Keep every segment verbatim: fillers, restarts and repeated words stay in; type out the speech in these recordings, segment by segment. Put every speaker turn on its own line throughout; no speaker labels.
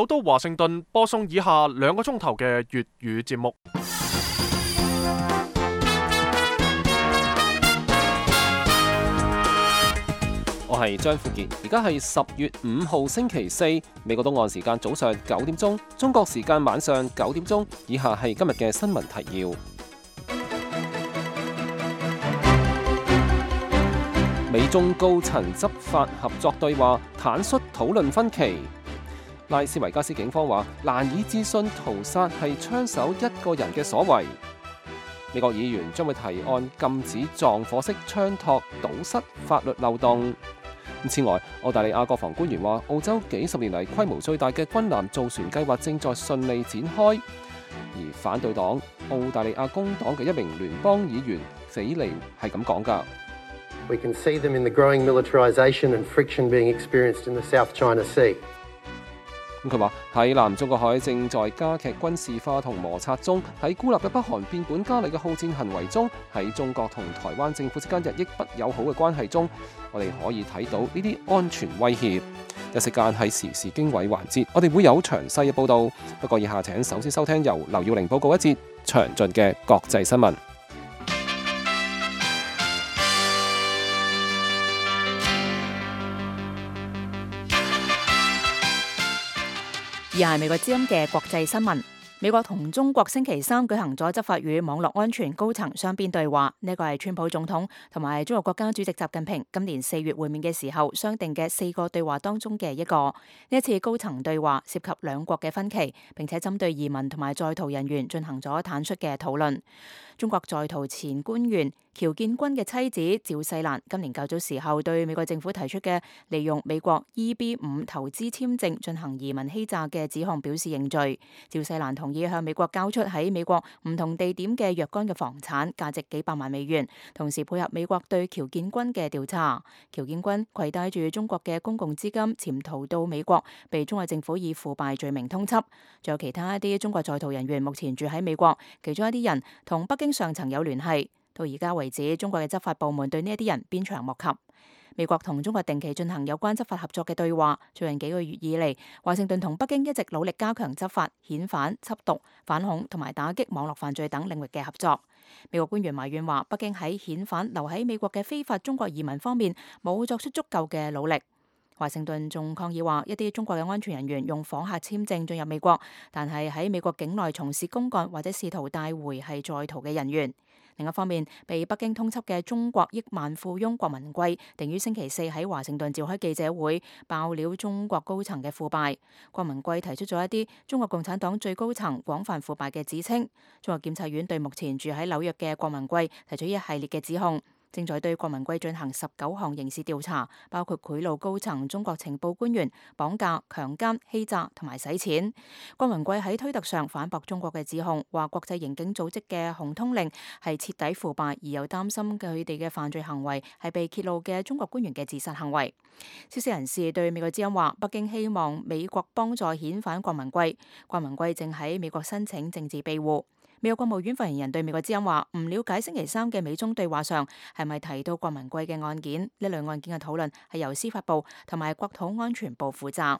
首都華盛頓播送以下兩個鐘頭嘅粵語節目。我係張富傑，而家係十月五號星期四，美國東岸時間早上九點鐘，中國時間晚上九點鐘。以下係今日嘅新聞提要。美中高層執法合作對話，坦率討論分歧。拉斯維加斯警方話難以置信屠殺係槍手一個人嘅所為。美國議員將會提案禁止撞火式槍托，堵塞法律漏洞。此外，澳大利亞國防官員話澳洲幾十年嚟規模最大嘅軍艦造船計劃正在順利展開。而反對黨澳大利亞工黨嘅一名聯邦議員斐尼係咁講㗎。
We can see them in the growing militarization and friction being experienced in the South China Sea.
咁佢話喺南中國海正在加劇軍事化同摩擦中，喺孤立嘅北韓變本加厲嘅好戰行為中，喺中國同台灣政府之間日益不友好嘅關係中，我哋可以睇到呢啲安全威脅。一時間喺時事經緯環節，我哋會有詳細嘅報導。不過以下請首先收聽由劉耀玲報告一節詳盡嘅國際新聞。
而係美國之音嘅國際新聞。美國同中國星期三舉行咗執法與網絡安全高層雙邊對話，呢個係川普總統同埋中國國家主席習近平今年四月會面嘅時候商定嘅四個對話當中嘅一個。呢一次高層對話涉及兩國嘅分歧，並且針對移民同埋在逃人員進行咗坦率嘅討論。中國在逃前官員喬建軍嘅妻子趙世蘭今年較早時候對美國政府提出嘅利用美國 E B 五投資簽證進行移民欺詐嘅指控表示認罪。趙世蘭同意向美國交出喺美國唔同地點嘅若干嘅房產，價值幾百萬美元，同時配合美國對喬建軍嘅調查。喬建軍攜帶住中國嘅公共資金潛逃到美國，被中國政府以腐敗罪名通緝。仲有其他一啲中國在逃人員目前住喺美國，其中一啲人同北京上層有聯繫。到而家為止，中國嘅執法部門對呢一啲人鞭長莫及。美國同中國定期進行有關執法合作嘅對話。最近幾個月以嚟，華盛頓同北京一直努力加強執法、遣返、緝毒、反恐同埋打擊網絡犯罪等領域嘅合作。美國官員埋怨話，北京喺遣返留喺美國嘅非法中國移民方面冇作出足夠嘅努力。華盛頓仲抗議話，一啲中國嘅安全人員用訪客簽證進入美國，但係喺美國境內從事公幹或者試圖帶回係在逃嘅人員。另一方面，被北京通緝嘅中國億萬富翁郭文貴，定於星期四喺華盛頓召開記者會，爆料中國高層嘅腐敗。郭文貴提出咗一啲中國共產黨最高層廣泛腐敗嘅指稱。中國檢察院對目前住喺紐約嘅郭文貴提出一系列嘅指控，正在對郭文貴進行十九項刑事調查，包括賄賂高層中國情報官員、綁架、強姦、欺詐同埋洗錢。郭文貴喺推特上反駁中國嘅指控，話國際刑警組織嘅紅通令係徹底腐敗，而又擔心佢哋嘅犯罪行為係被揭露嘅中國官員嘅自殺行為。消息人士對美國之音話，北京希望美國幫助遣返郭文貴，郭文貴正喺美國申請政治庇護。美國國務院發言人對美國之音話，唔了解星期三嘅美中對話上係咪提到郭文貴嘅案件，呢類案件嘅討論係由司法部同埋國土安全部負責。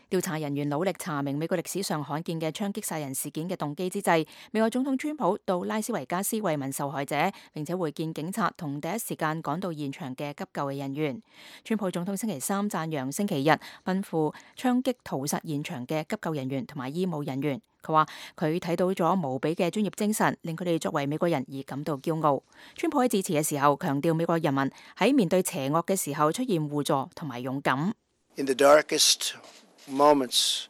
調查人員努力查明美國歷史上罕見嘅槍擊殺人事件嘅動機之際，美國總統川普到拉斯維加斯慰問受害者，並且會見警察同第一時間趕到現場嘅急救嘅人員。川普總統星期三讚揚星期日奔赴槍擊屠殺現場嘅急救人員同埋醫務人員。佢話佢睇到咗無比嘅專業精神，令佢哋作為美國人而感到驕傲。川普喺致辭嘅時候強調，美國人民喺面對邪惡嘅時候出現互助同埋勇敢。
In the darkest moments,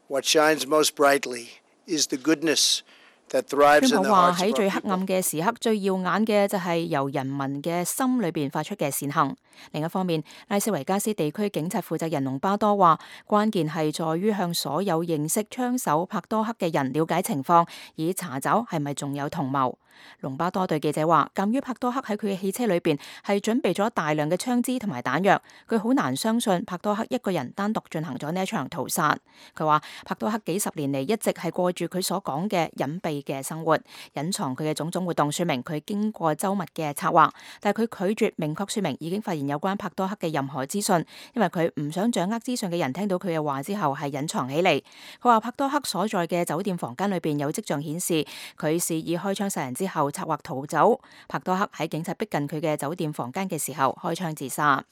what shines most brightly is the goodness that thrives in the hearts of our people. 川普話喺最黑暗嘅時刻，最耀眼嘅就係由人民嘅心裏邊發出嘅善行。另一方面，拉斯維加斯地區警察負責人隆巴多話，關鍵係在於向所有認識槍手帕多克嘅人了解情況，以查找係咪仲有同謀。
隆巴多對記者話，鑑於帕多克喺佢嘅汽車裏邊係準備咗大量嘅槍支同埋彈藥，佢好難相信帕多克一個人單獨進行咗呢一場屠殺。佢話帕多克幾十年嚟一直係過住佢所講嘅隱蔽嘅生活，隱藏佢嘅種種活動，說明佢經過周密嘅策劃，但係佢拒絕明確說明已經發現有關帕多克嘅任何資訊，因為佢唔想掌握資訊嘅人聽到佢嘅話之後係隱藏起嚟。佢話帕多克所在嘅酒店房間裏邊有跡象顯示佢示意開槍殺人之後策劃逃走。帕多克喺警察逼近佢嘅酒店房間嘅時候開槍自殺。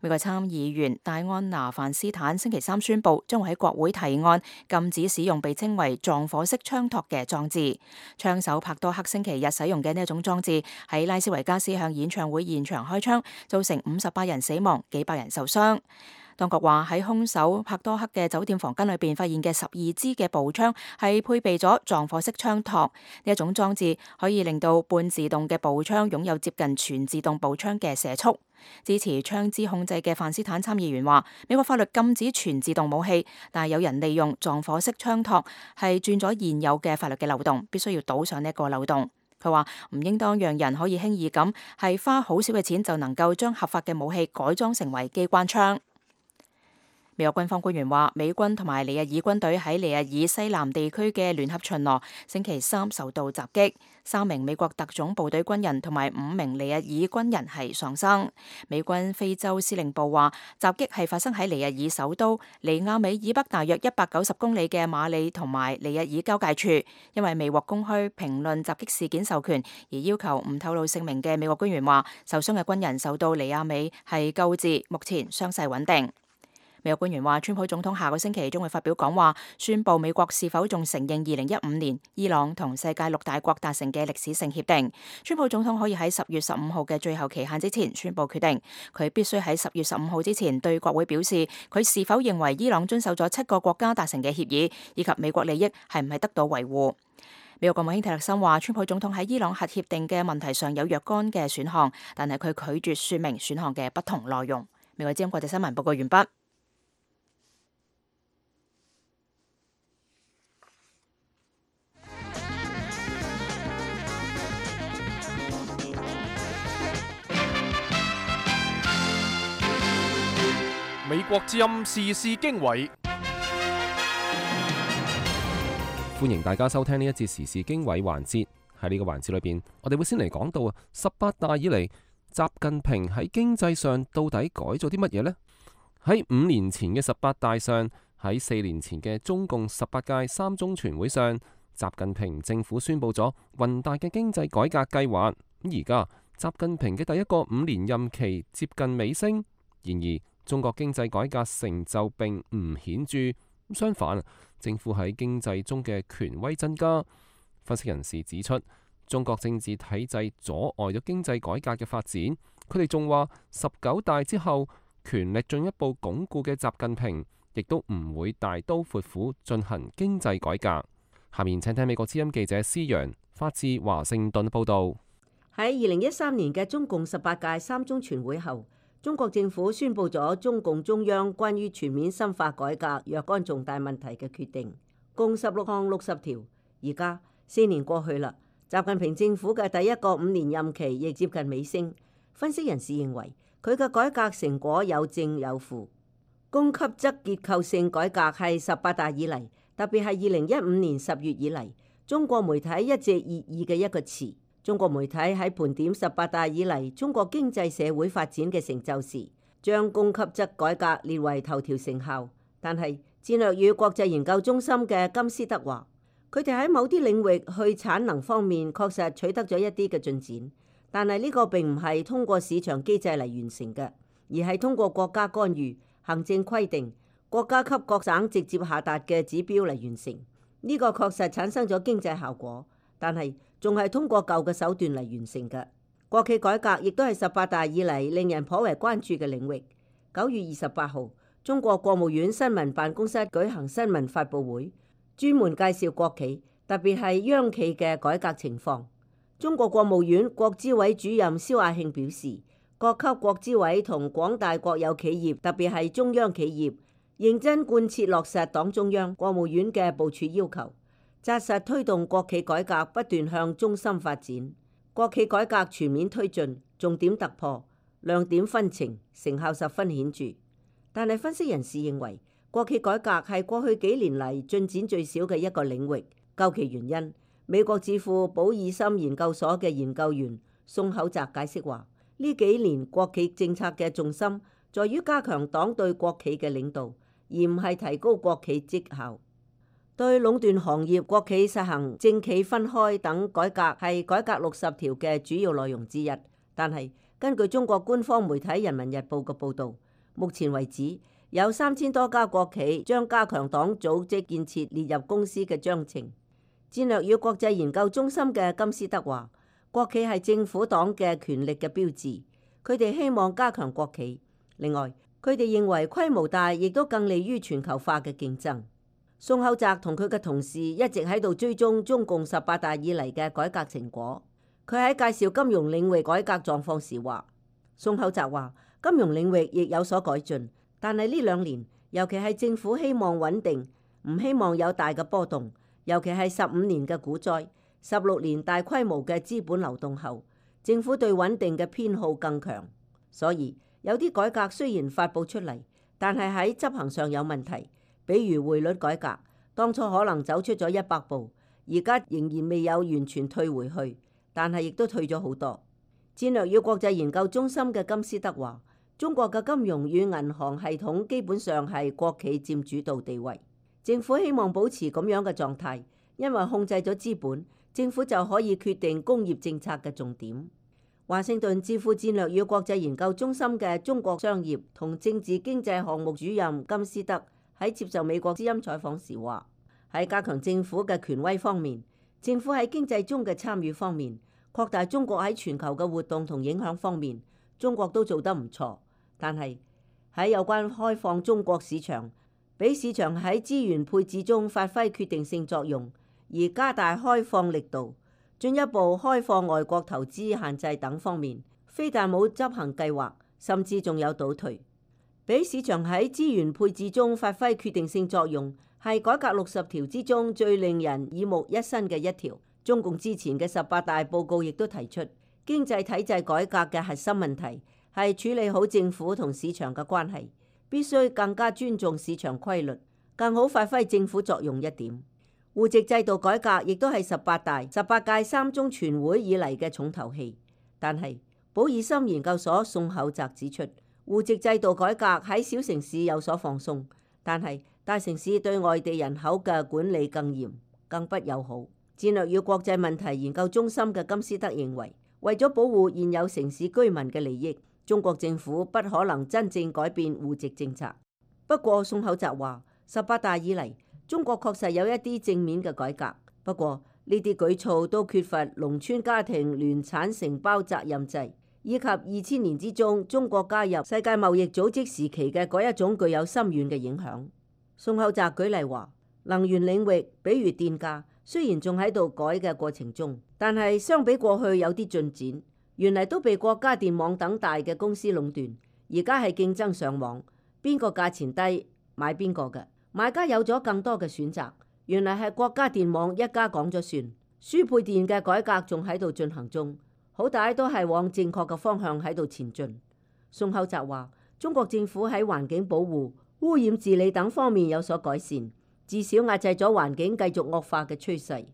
美國參議員戴安娜范斯坦星期三宣布，將會喺國會提案禁止使用被稱為撞火式槍托嘅裝置。槍手帕多克星期日使用嘅呢一種裝置喺拉斯維加斯向演唱會現場開槍，造成五十八人死亡，幾百人受傷。當局話喺兇手帕多克嘅酒店房間裏邊發現嘅十二支嘅步槍係配備咗撞火式槍托，呢一種裝置可以令到半自動嘅步槍擁有接近全自動步槍嘅射速。支持槍支控制嘅范斯坦參議員話，美國法律禁止全自動武器，但係有人利用撞火式槍托係鑽咗現有嘅法律嘅漏洞，必須要堵上呢一個漏洞。佢話唔應當讓人可以輕易咁係花好少嘅錢就能夠將合法嘅武器改裝成為機關槍。美國軍方官員話，美軍同埋尼日爾軍隊喺尼日爾西南地區嘅聯合巡邏星期三受到襲擊，三名美國特種部隊軍人同埋五名尼日爾軍人係喪生。美軍非洲司令部話，襲擊係發生喺尼日爾首都尼亞美以北大約一百九十公里嘅馬里同埋尼日爾交界處。因為未獲公開評論襲擊事件授權而要求唔透露姓名嘅美國官員話，受傷嘅軍人受到尼亞美係救治，目前傷勢穩定。美國官員話，川普總統下個星期將會發表講話，宣布美國是否仲承認二零一五年伊朗同世界六大國達成嘅歷史性協定。川普總統可以喺十月十五號嘅最後期限之前宣布決定，佢必須喺十月十五號之前對國會表示佢是否認為伊朗遵守咗七個國家達成嘅協議，以及美國利益係唔係得到維護。美國國務卿蒂勒森話，川普總統喺伊朗核協定嘅問題上有若干嘅選項，但係佢拒絕說明選項嘅不同內容。美國之音國際新聞報告完畢。
美國之音時事經緯，
歡迎大家收聽呢一節時事經緯環節。喺呢個環節裏邊，我哋會先嚟講到啊，十八大以嚟，習近平喺經濟上到底改咗啲乜嘢呢？喺五年前嘅十八大上，喺四年前嘅中共十八屆三中全會上，習近平政府宣布咗宏大嘅經濟改革計劃。咁而家習近平嘅第一個五年任期接近尾聲，然而中國經濟改革成就並唔顯著，相反，政府喺經濟中嘅權威增加。分析人士指出，中國政治體制阻礙咗經濟改革嘅發展。佢哋仲話，十九大之後權力進一步鞏固嘅習近平，亦都唔會大刀闊斧進行經濟改革。下面請聽美國之音記者施陽發自華盛頓報道。
喺二零一三年嘅中共十八屆三中全會後，中國政府宣布咗中共中央關於全面深化改革若干重大問題嘅決定，共十六項六十條。而家四年過去啦，習近平政府嘅第一個五年任期亦接近尾聲。分析人士認為，佢嘅改革成果有正有負。供給側結構性改革係十八大以嚟，特別係二零一五年十月以嚟，中國媒體一直熱議嘅一個詞。中國媒體喺盤點十八大以嚟中國經濟社會發展嘅成就時，將供給側改革列為頭條成效。但係戰略與國際研究中心嘅金斯德話，佢哋喺某啲領域去產能方面確實取得咗一啲嘅進展，但係呢個並唔係通過市場機制嚟完成嘅，而係通過國家干預、行政規定、國家級各省直接下達嘅指標嚟完成。呢個確實產生咗經濟效果，但係仲係通過舊嘅手段嚟完成嘅。國企改革亦都係十八大以嚟令人頗為關注嘅領域。九月二十八號，中國國務院新聞辦公室舉行新聞發佈會，專門介紹國企，特別係央企嘅改革情況。中國國務院國資委主任肖亞慶表示，各級國資委同廣大國有企業，特別係中央企業，認真貫徹落實黨中央、國務院嘅部署要求，紮實推動國企改革不斷向中心發展，國企改革全面推進，重點突破，亮點紛呈，成效十分顯著。但係分析人士認為，國企改革係過去幾年嚟進展最少嘅一個領域。究其原因，美國智庫保爾森研究所嘅研究員宋厚澤解釋話：呢幾年國企政策嘅重心在於加強黨對國企嘅領導，而唔係提高國企績效。對壟斷行業，國企實行政企分開等改革係改革六十條嘅主要內容之一。但係根據中國官方媒體《人民日報》嘅報導，目前為止有三千多家國企將加強黨組織建設列入公司嘅章程。戰略與國際研究中心嘅金斯德話：國企係政府黨嘅權力嘅標誌，佢哋希望加強國企。另外，佢哋認為規模大亦都更利於全球化嘅競爭。宋厚澤同佢嘅同事一直喺度追蹤中共十八大以嚟嘅改革成果。佢喺介紹金融領域改革狀況時話：宋厚澤話，金融領域亦有所改進，但係呢兩年，尤其係政府希望穩定，唔希望有大嘅波動，尤其係十五年嘅股災、十六年大規模嘅資本流動後，政府對穩定嘅偏好更強。所以有啲改革雖然發佈出嚟，但係喺執行上有問題。比如匯率改革，當初可能走出咗一百步，而家仍然未有完全退回去，但係亦都退咗好多。戰略與國際研究中心嘅金斯德話：中國嘅金融與銀行系統基本上係國企佔主導地位，政府希望保持咁樣嘅狀態，因為控制咗資本，政府就可以決定工業政策嘅重點。華盛頓智庫戰略與國際研究中心嘅中國商業同政治經濟項目主任金斯德喺接受美國之音採訪時話：喺加強政府嘅權威方面，政府喺經濟中嘅參與方面，擴大中國喺全球嘅活動同影響方面，中國都做得唔錯。但係喺有關開放中國市場，俾市場喺資源配置中發揮決定性作用，而加大開放力度，進一步開放外國投資限制等方面，非但冇執行計劃，甚至仲有倒退。俾市場喺資源配置中發揮決定性作用，係改革六十條之中最令人耳目一新嘅一條。中共之前嘅十八大報告亦都提出，經濟體制改革嘅核心問題係處理好政府同市場嘅關係，必須更加尊重市場規律，更好發揮政府作用一點。戶籍制度改革亦都係十八大、十八屆三中全會以嚟嘅重頭戲。但係保爾森研究所宋厚澤指出，戶籍制度改革喺小城市有所放鬆，但係大城市對外地人口嘅管理更嚴、更不友好。戰略與國際問題研究中心嘅金斯德認為，為咗保護現有城市居民嘅利益，中國政府不可能真正改變戶籍政策。不過宋厚澤話，十八大以嚟，中國確實有一啲正面嘅改革，不過呢啲舉措都缺乏農村家庭聯產承包責任制，以及二千年之中中國加入世界貿易組織時期嘅嗰一種具有深遠嘅影響。宋厚澤舉例話，能源領域，比如電價，雖然仲喺度改嘅過程中，但係相比過去有啲進展。原嚟都被國家電網等大嘅公司壟斷，而家係競爭上網，邊個價錢低買邊個嘅，買家有咗更多嘅選擇。原嚟係國家電網一家講咗算。輸配電嘅改革仲喺度進行中，好大都係往正確嘅方向喺度前進。宋厚澤話，中國政府喺環境保護、污染治理等方面有所改善，至少壓制咗環境繼續惡化嘅趨勢。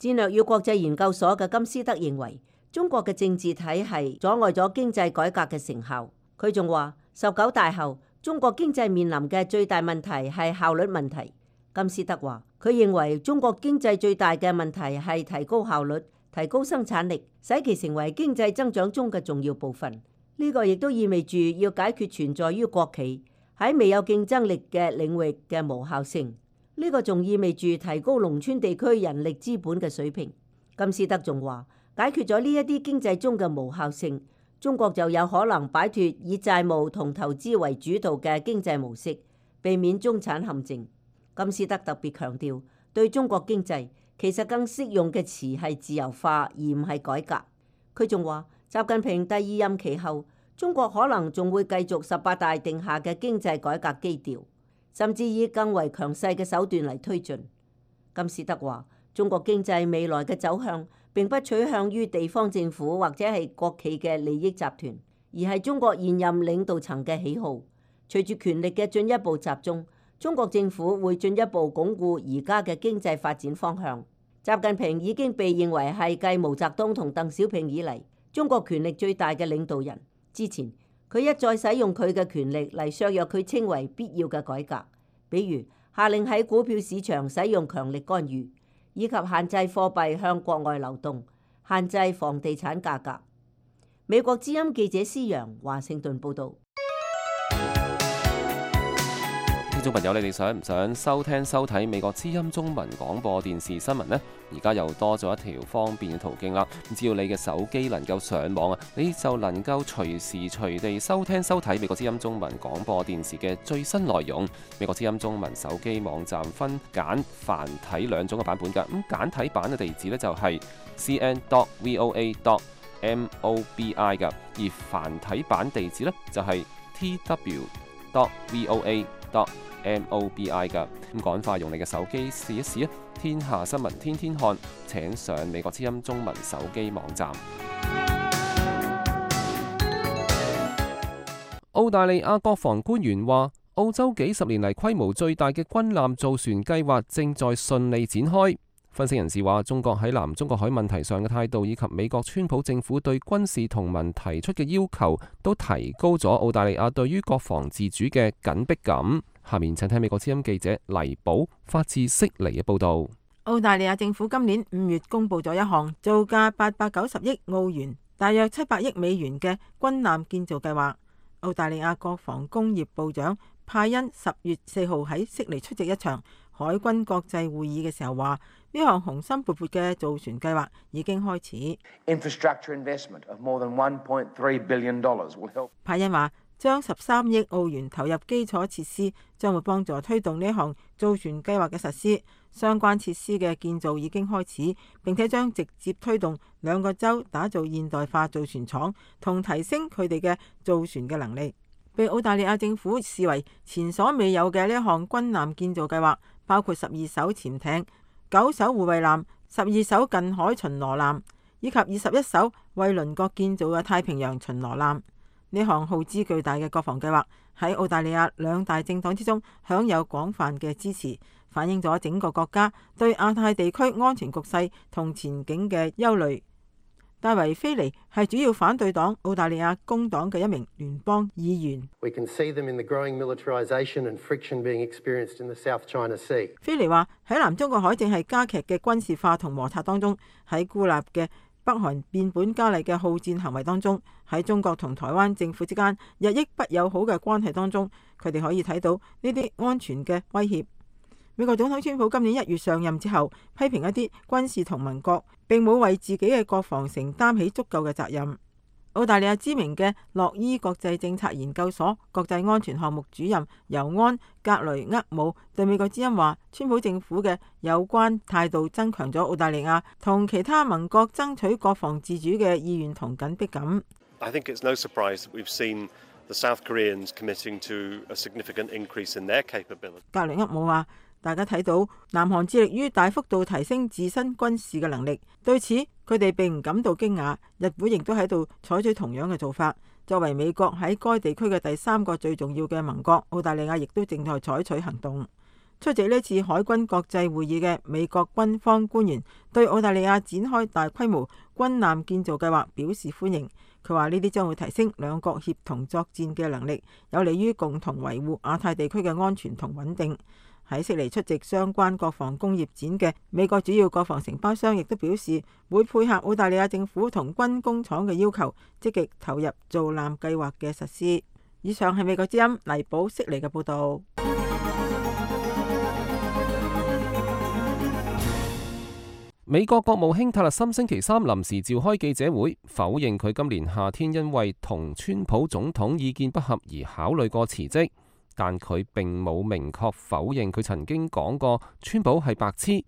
戰略與國際研究所嘅金斯德認為，中國嘅政治體系阻礙咗經濟改革嘅成效。佢仲話，十九大後，中國經濟面臨嘅最大問題係效率問題。金斯德話，佢認為中國經濟最大嘅問題係提高效率、提高生產力，使其成為經濟增長中嘅重要部分。呢個亦都意味住要解決存在於國企喺未有競爭力嘅領域嘅無效性。呢個仲意味住提高農村地區人力資本嘅水平。金斯德仲話，解決咗呢一啲經濟中嘅無效性，中國就有可能擺脫以債務同投資為主導嘅經濟模式，避免中產陷阱。金斯德特別強調，對中國經濟其實更適用嘅詞係自由化，而唔係改革。佢仲話，習近平第二任期後，中國可能仲會繼續十八大定下嘅經濟改革基調，甚至以更為強勢嘅手段嚟推進。金斯德話，中國經濟未來嘅走向並不取向於地方政府或者係國企嘅利益集團，而係中國現任領導層嘅喜好。隨住權力嘅進一步集中，中國政府會進一步鞏固而家嘅經濟發展方向。習近平已經被認為係繼毛澤東同鄧小平以嚟中國權力最大嘅領導人。之前佢一再使用佢嘅權力嚟削弱佢稱為必要嘅改革，比如下令喺股票市場使用強力干預，以及限制貨幣向國外流動，限制房地產價格。美國之音記者施陽華盛頓報導。
聽眾朋友，你哋想唔想收聽收睇美國之音中文廣播電視新聞呢？而家又多咗一條方便嘅途徑啦！只要你嘅手機能夠上網啊，你就能夠隨時隨地收聽收睇美國之音中文廣播電視嘅最新內容。美國之音中文手機網站分簡繁體兩種嘅版本㗎。咁簡體版嘅地址呢，就係 c n dot voa dot mobi 㗎，而繁體版地址呢，就係 t w dot voa dot mobi 㗎。咁趕快用你嘅手機試一試啊！天下新聞天天看，請上美國之音中文手機網站。澳大利亞國防官員話，澳洲幾十年嚟規模最大嘅軍艦造船計劃正在順利展開。分析人士話，中國喺南中國海問題上嘅態度，以及美國川普政府對軍事同盟提出嘅要求，都提高咗澳大利亞對於國防自主嘅緊迫感。下面請聽美國之音記者黎寶發自悉尼嘅報道。
澳大利亞政府今年五月公布咗一項造價八百九十億澳元，大約七百億美元嘅軍艦建造計劃。澳大利亞國防工業部長派恩十月四號喺悉尼出席一場海軍國際會議嘅時候話，呢項雄心勃勃嘅造船計劃已經開始。派恩話，將十三億澳元投入基礎設施，將會幫助推動呢項造船計劃嘅實施。相關設施嘅建造已經開始，並且將直接推動兩個州打造現代化造船廠，同提升佢哋嘅造船嘅能力。被澳大利亞政府視為前所未有嘅呢一項軍艦建造計劃，包括十二艘潛艇、九艘護衛艦、十二艘近海巡邏艦，以及二十一艘為鄰國建造嘅太平洋巡邏艦。呢項耗資巨大嘅國防計劃喺澳大利亞兩大政黨之中享有廣泛嘅支持，反映咗整個國家對亞太地區安全局勢同前景嘅憂慮。戴維菲尼係主要反對黨澳大利亞工黨嘅一名聯邦議員。
We can see them in the growing militarization and friction being experienced in the South China Sea.
菲尼話喺南中國海正係加劇嘅軍事化同摩擦當中，喺孤立嘅北韓變本加厲嘅好戰行為當中，喺中國同台灣政府之間日益不友好嘅關係當中，佢哋可以睇到呢啲安全嘅威脅。美國總統川普今年一月上任之後，批評一啲軍事同盟國並冇為自己嘅國防承擔起足夠嘅責任。澳大利亞知名嘅洛伊國際政策研究所國際安全項目主任尤安格雷厄姆對美國之音話，川普政府嘅有關態度增強咗澳大利亞同其他盟國爭取國防自主嘅意願同緊迫感。
I think it's no surprise that we've seen the South Koreans committing to a significant increase in their capability.
格雷厄姆話，大家睇到南韓致力於大幅度提升自身軍事嘅能力，對此佢哋並唔感到驚訝。日本亦都喺度採取同樣嘅做法。作為美國喺該地區嘅第三個最重要嘅盟國，澳大利亞亦都正在採取行動。出席呢次海軍國際會議嘅美國軍方官員對澳大利亞展開大規模軍艦建造計劃表示歡迎。佢話呢啲將會提升兩國協同作戰嘅能力，有利於共同維護亞太地區嘅安全同穩定。喺悉尼出席相關國防工業展嘅美國主要國防承包商亦都表示會配合澳大利亞政府同軍工廠嘅要求，積極投入造艦計劃嘅實施。以上係美國之音黎寶悉尼嘅報導。
美國國務卿塔勒森星期三臨時召開記者會，否認佢今年夏天因為同川普總統意見不合而考慮過辭職。但佢並冇明確否認佢曾經講過川普係白痴。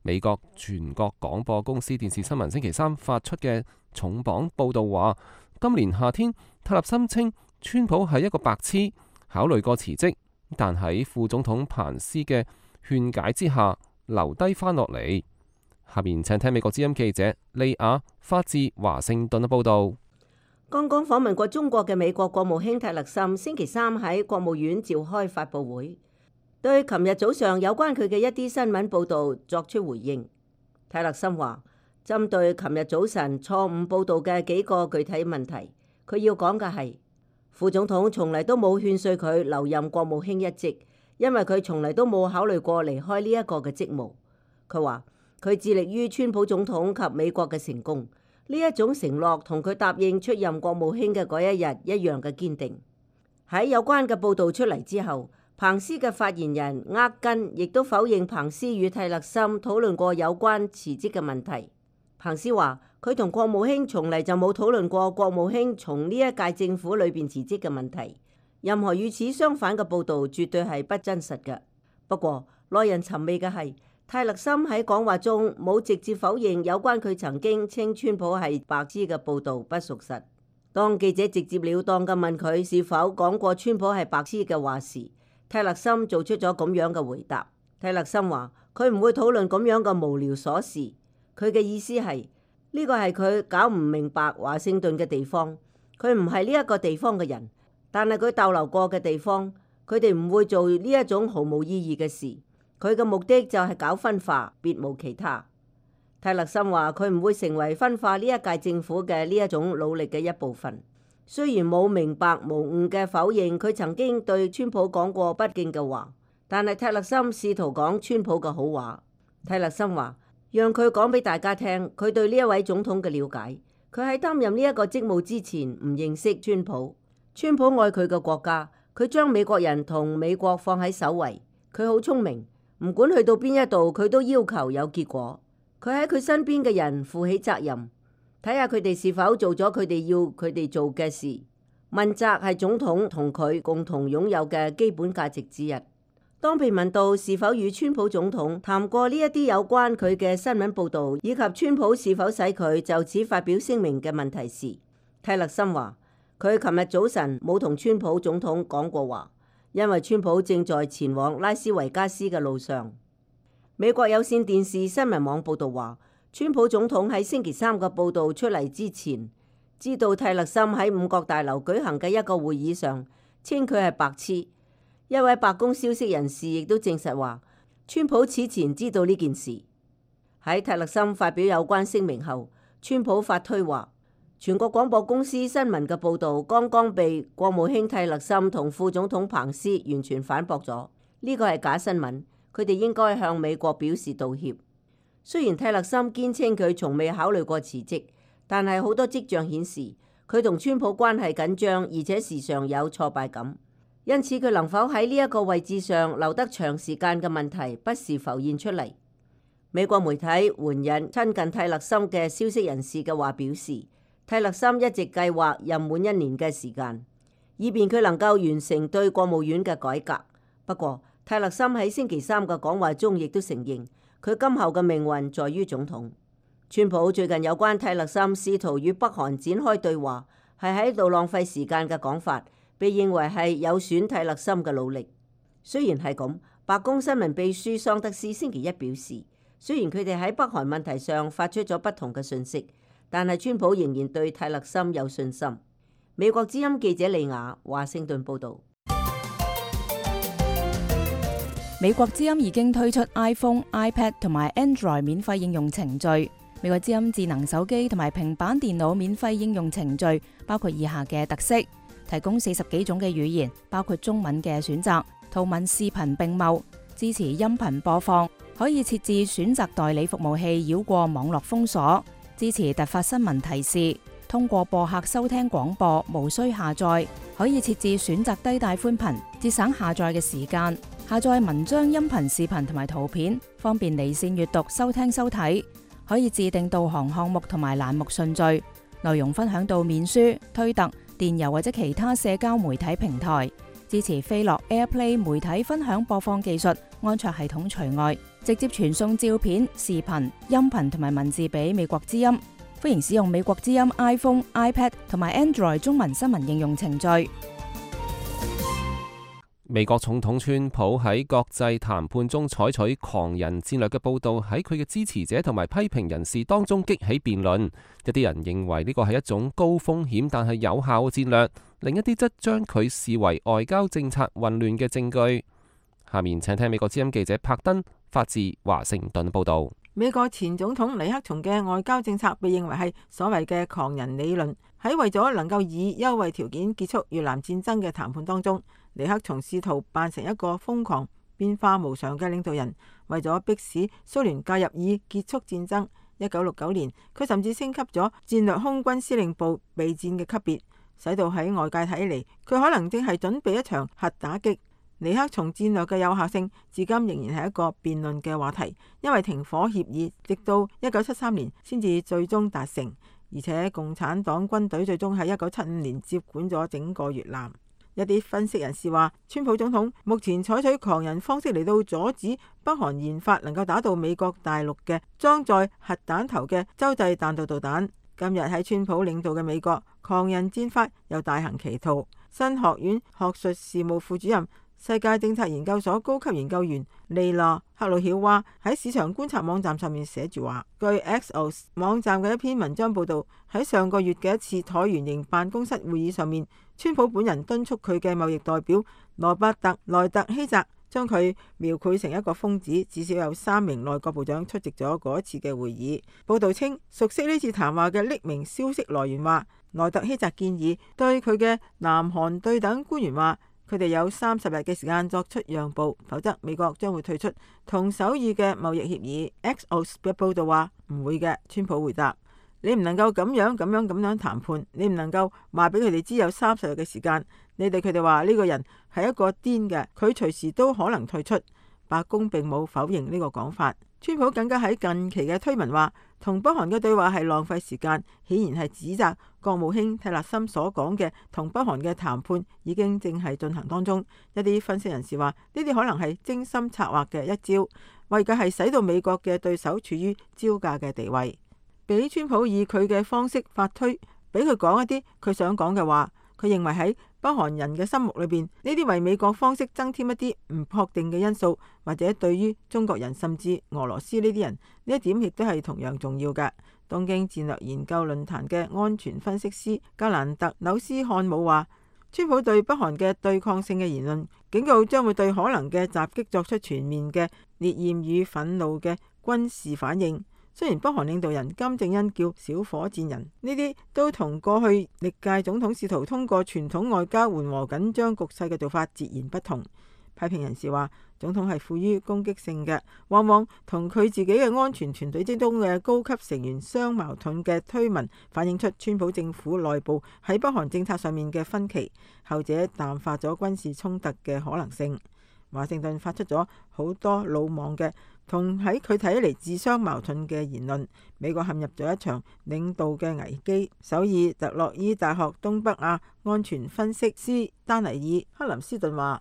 美國全國廣播公司電視新聞星期三發出嘅重磅報導話，今年夏天塔勒森稱川普係一個白痴，考慮過辭職，但喺副總統彭斯嘅勸解之下留低返落嚟。下面請聽美國之音記者利亞發自華盛頓嘅報導。
剛剛訪問過中國嘅美國國務卿泰勒森星期三喺國務院召開發佈會，對琴日早上有關佢嘅一啲新聞報導作出回應。泰勒森話：針對琴日早晨錯誤報導嘅幾個具體問題，佢要講嘅係副總統從嚟都冇勸說佢留任國務卿一職，因為佢從嚟都冇考慮過離開呢一個嘅職務。佢話佢致力於川普總統及美國嘅成功，呢一種承諾同佢答應出任國務卿嘅嗰一日一樣嘅堅定。喺有關嘅報導出嚟之後，彭斯嘅發言人厄根亦都否認彭斯與泰勒森討論過有關辭職嘅問題。彭斯話佢同國務卿從嚟就冇討論過國務卿從呢一屆政府裏邊辭職嘅問題。任何與此相反嘅報導絕對係不真實嘅。不過耐人尋味嘅係，泰勒森喺講話中冇直接否認有關佢曾經稱川普係白痴嘅報導不屬實。當記者直接了當嘅問佢是否講過川普係白痴嘅話時，泰勒森做出咗咁樣嘅回答。泰勒森話佢唔會討論咁樣嘅無聊瑣事。佢嘅意思係呢個係佢搞唔明白華盛頓嘅地方。佢唔係呢一個地方嘅人，但係佢逗留過嘅地方，佢哋唔會做呢一種毫無意義嘅事。佢嘅目的就係搞分化，別無其他。泰勒森話佢唔會成為分化呢一屆政府嘅呢一種努力嘅一部分。雖然冇明白無誤嘅否認佢曾經對川普講過不敬嘅話，但係泰勒森試圖講川普嘅好話。泰勒森話讓佢講俾大家聽佢對呢一位總統嘅了解。佢喺擔任呢一個職務之前唔認識川普。川普愛佢嘅國家，佢將美國人同美國放喺首位。佢好聰明，唔管去到邊一度，佢都要求有結果。佢喺佢身邊嘅人負起責任，睇下佢哋是否做咗佢哋要佢哋做嘅事。問責係總統同佢共同擁有嘅基本價值之一。當被問到是否與川普總統談過呢一啲有關佢嘅新聞報導，以及川普是否使佢就此發表聲明嘅問題時，泰勒森話佢琴日早晨冇同川普總統講過話，因為川普正在前往拉斯維加斯嘅路上。美國有線電視新聞網報導話，川普總統喺星期三嘅報導出嚟之前，知道泰勒森喺五角大樓舉行嘅一個會議上稱佢係白痴。一位白宮消息人士亦都證實話，川普此前知道呢件事。喺泰勒森發表有關聲明後，川普發推話，全國廣播公司新聞嘅報導剛剛被國務卿泰勒森同副總統彭斯完全反駁咗，呢個係假新聞，佢哋應該向美國表示道歉。雖然泰勒森堅稱佢從未考慮過辭職，但係好多跡象顯示佢同川普關係緊張，而且時常有挫敗感。因此佢能否喺呢一個位置上留得長時間嘅問題不時浮現出嚟。美國媒體援引親近泰勒森嘅消息人士嘅話表示，泰勒森一直計劃任滿一年嘅時間，以便佢能夠完成對國務院嘅改革。不過泰勒森喺星期三嘅講話中亦都承認，佢今後嘅命運在於總統。川普最近有關泰勒森試圖與北韓展開對話，係喺度浪費時間嘅講法，被認為係有損泰勒森嘅努力。雖然係咁，白宮新聞秘書桑德斯星期一表示，雖然佢哋喺北韓問題上發出咗不同嘅訊息，但係川普仍然對泰勒森有信心。美國之音記者利亞華盛頓報導。
美國之音已經推出 iPhone、iPad 同埋 Android 免費應用程序。美國之音智能手機同埋平板電腦免費應用程序包括以下嘅特色。提供四十幾種嘅語言，包括中文嘅選擇，圖文視頻並茂，支持音頻播放，可以設置選擇代理服務器繞過網絡封鎖，支持突發新聞提示，通過播客收聽廣播，無需下載，可以設置選擇低帶寬頻，節省下載嘅時間，下載文章、音頻、視頻同埋圖片，方便離線閱讀、收聽收睇，可以自定導航項目同埋欄目順序，內容分享到面書、推特、電郵或者其他社交媒體平台，支持飛樂 AirPlay 媒體分享播放技術，安卓系統除外，直接傳送照片、視頻、音頻同埋文字俾美國之音。歡迎使用美國之音 iPhone、iPad 同埋 Android 中文新聞應用程序。
美國總統川普喺國際談判中採取狂人戰略嘅報導，喺佢嘅支持者同埋批評人士當中激起辯論。一啲人認為呢個係一種高風險但係有效嘅戰略，另一啲則將佢視為外交政策混亂嘅證據。下面請聽美國之音記者柏登發自華盛頓報導。
美國前總統尼克松嘅外交政策被認為係所謂嘅狂人理論。喺為咗能夠以優惠條件結束越南戰爭嘅談判當中，尼克松試圖扮成一個瘋狂、變化無常嘅領導人，為咗迫使蘇聯介入以結束戰爭。一九六九年，佢甚至升級咗戰略空軍司令部備戰嘅級別，使到喺外界睇嚟，佢可能正係準備一場核打擊。尼克松戰略嘅有效性至今仍然係一個辯論嘅話題，因為停火協議直到一九七三年先至最終達成，而且共產黨軍隊最終喺一九七五年接管咗整個越南。一啲分析人士話，川普總統目前採取狂人方式嚟到阻止北韓研發能夠打到美國大陸嘅裝載核彈頭嘅洲際彈道導彈。今日喺川普領導嘅美國，狂人戰法又大行其道。新學院學術事務副主任、世界政策研究所高級研究員利娜克魯曉娃喺市場觀察網站上面寫住話，據 Axios 網站嘅一篇文章報道，喺上個月嘅一次橢圓形辦公室會議上面，川普本人敦促佢嘅貿易代表羅伯特萊特希澤將佢描繪成一個瘋子，至少有三名內閣部長出席咗嗰一次嘅會議。報道稱，熟悉呢次談話嘅匿名消息來源話，萊特希澤建議對佢嘅南韓對等官員話，佢哋有三十日嘅時間作出讓步，否則美國將會退出同首爾嘅貿易協議。Axios 嘅報道話唔會嘅，川普回答：你唔能夠咁樣咁樣咁樣談判，你唔能夠話俾佢哋知有三十日嘅時間。你對佢哋話呢個人係一個癲嘅，佢隨時都可能退出。白宮並冇否認呢個講法。川普更加喺近期嘅推文話，同北韓嘅對話係浪費時間，顯然係指責國務卿蒂勒森所講嘅同北韓嘅談判已經正係進行當中。一啲分析人士話，呢啲可能係精心策劃嘅一招，為嘅係使到美國嘅對手處於招架嘅地位，俾川普以佢嘅方式發推，俾佢講一啲佢想講嘅話。佢認為喺北韓人嘅心目裏邊，呢啲為美國方式增添一啲唔確定嘅因素，或者對於中國人甚至俄羅斯呢啲人，呢一點亦都係同樣重要嘅。東京戰略研究論壇嘅安全分析師格蘭特紐斯漢姆話，川普對北韓嘅對抗性嘅言論，警告將會對可能嘅襲擊作出全面嘅烈焰與憤怒嘅軍事反應。雖然北韓領導人金正恩叫小火箭人，呢啲都同過去歷屆總統試圖通過傳統外交緩和緊張局勢嘅做法截然不同。批評人士話，總統係富於攻擊性嘅，往往同佢自己嘅安全團隊之中嘅高級成員相矛盾嘅推文，反映出川普政府內部喺北韓政策上面嘅分歧，後者淡化咗軍事衝突嘅可能性。華盛頓發出咗好多魯莽嘅同喺佢睇嚟自相矛盾嘅言論，美國陷入咗一場領導嘅危機。首爾特洛伊大學東北亞安全分析師丹尼爾克林斯頓話，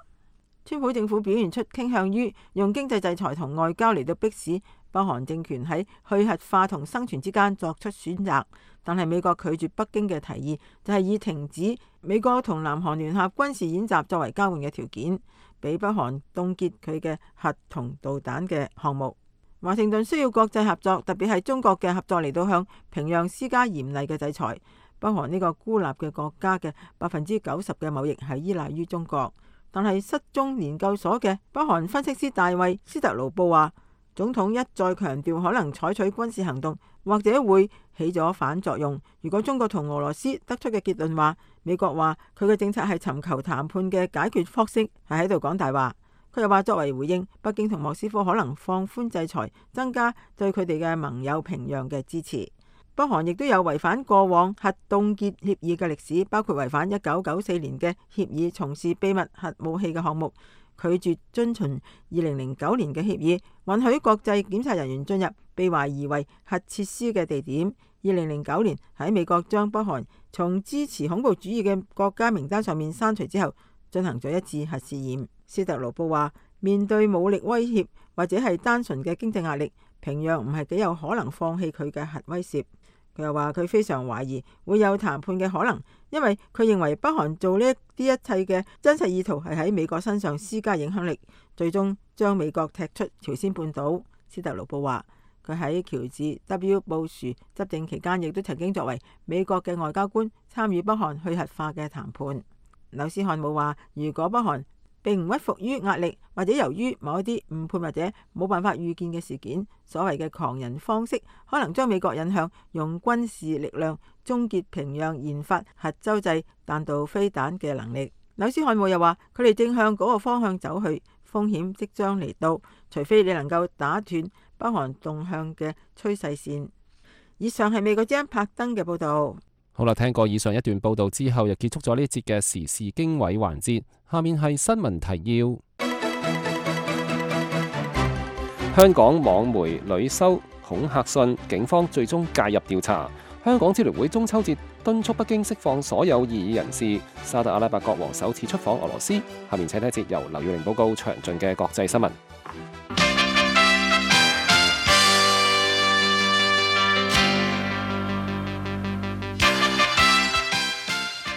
川普政府表現出傾向於用經濟制裁同外交嚟到迫使北韓政權喺去核化同生存之間作出選擇，但係美國拒絕北京嘅提議，就係以停止美國同南韓聯合軍事演習作為交換嘅條件，俾北韓凍結佢嘅核同導彈嘅項目。華盛頓需要國際合作，特別係中國嘅合作嚟到向平壤施加嚴厲嘅制裁。北韓呢個孤立嘅國家嘅百分之九十嘅貿易係依賴於中國。但係失蹤研究所嘅北韓分析師大衛斯特勞布話，總統一再強調可能採取軍事行動，或者會起咗反作用。如果中國同俄羅斯得出嘅結論話，美國話佢嘅政策係尋求談判嘅解決方式，係喺度講大話。佢又話，作為回應，北京同莫斯科可能放寬制裁，增加對佢哋嘅盟友平壤嘅支持。北韓亦都有違反過往核凍結協議嘅歷史，包括違反一九九四年嘅協議，從事秘密核武器嘅項目，拒絕遵循二零零九年嘅協議，允許國際檢察人員進入被懷疑為核設施嘅地點。二零零九年喺美國將北韓從支持恐怖主義嘅國家名單上面刪除之後，進行咗一次核試驗。斯特勞布話，面對武力威脅或者係單純嘅經濟壓力，平壤唔係幾有可能放棄佢嘅核威懾。佢又話佢非常懷疑會有談判嘅可能，因為佢認為北韓做呢啲一切嘅真實意圖係喺美國身上施加影響力，最終將美國踢出朝鮮半島。斯特魯布話，佢喺喬治 W 布殊執政期間，亦都曾經作為美國嘅外交官參與北韓去核化嘅談判。紐斯漢姆話，如果北韓並唔屈服於壓力，或者由於某一啲誤判或者冇辦法預見嘅事件，所謂嘅狂人方式可能將美國引向用軍事力量終結平壤研發核洲際彈道飛彈嘅能力。紐斯漢姆又話，佢哋正向嗰個方向走去，風險即將嚟到，除非你能夠打斷北韓動向嘅趨勢線。以上係美國之音拍登嘅報導。
好啦，聽過以上一段報導之後，又結束咗呢節嘅時事經緯環節。下面係新聞提要。香港網媒屢收恐嚇信，警方最終介入調查。香港支聯會中秋節敦促北京釋放所有異議人士。沙特阿拉伯國王首次出訪俄羅斯。下面請睇一節由劉耀玲報告詳盡嘅國際新聞。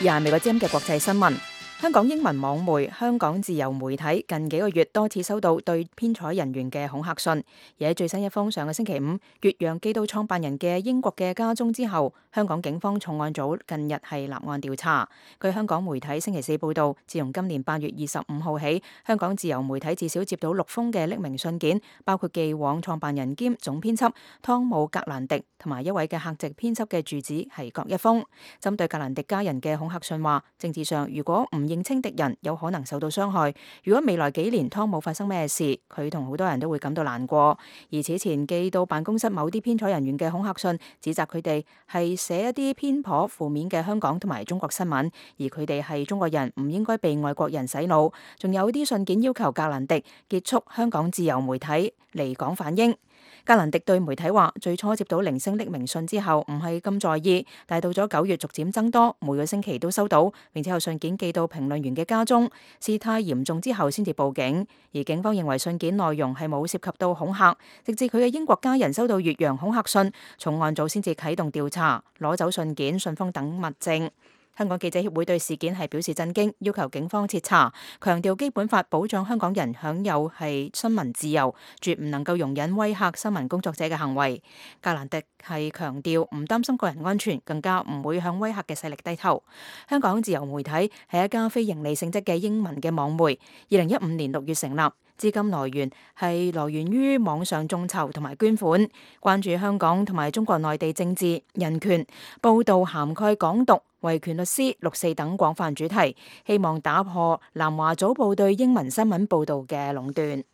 以下係美國之音嘅國際新聞。香港英文網媒香港自由媒體近幾個月多次收到對編採人員嘅恐嚇信，而喺最新一封上個星期五越洋寄到創辦人嘅英國嘅家中之後，香港警方重案組近日係立案調查。據香港媒體星期四報道，自從今年八月二十五號起，香港自由媒體至少接到六封嘅匿名信件，包括寄往創辦人兼總編輯湯姆格蘭迪同埋一位嘅客席編輯嘅住址係各一封。針對格蘭迪家人嘅恐嚇信話，政治上如果唔認清敵人，有可能受到傷害。如果未來幾年湯姆發生咩事，佢同好多人都會感到難過。而此前寄到辦公室某啲編採人員嘅恐嚇信，指責佢哋係寫一啲偏頗負面嘅香港同埋中國新聞，而佢哋係中國人，唔應該被外國人洗腦。仲有啲信件要求格蘭迪結束香港自由媒體，離港反英。格蘭迪對媒體話，最初接到零星匿名信之後唔係咁在意，但係到咗九月逐漸增多，每個星期都收到，並且有信件寄到評論員嘅家中，事態嚴重之後先至報警。而警方認為信件內容係冇涉及到恐嚇，直至佢嘅英國家人收到越洋恐嚇信，重案組先至啟動調查，攞走信件、信封等物證。香港記者協會對事件係表示震驚，要求警方徹查，強調基本法保障香港人享有係新聞自由，絕唔能夠容忍威嚇新聞工作者嘅行為。格蘭迪係強調唔擔心個人安全，更加唔會向威嚇嘅勢力低頭。香港自由媒體係一家非營利性質嘅英文嘅網媒，二零一五年六月成立。資金來源係來源於網上眾籌同埋捐款，關注香港同埋中國內地政治、人權，報導涵蓋港獨、維權律師、六四等廣泛主題，希望打破南華早報對英文新聞報導嘅壟斷。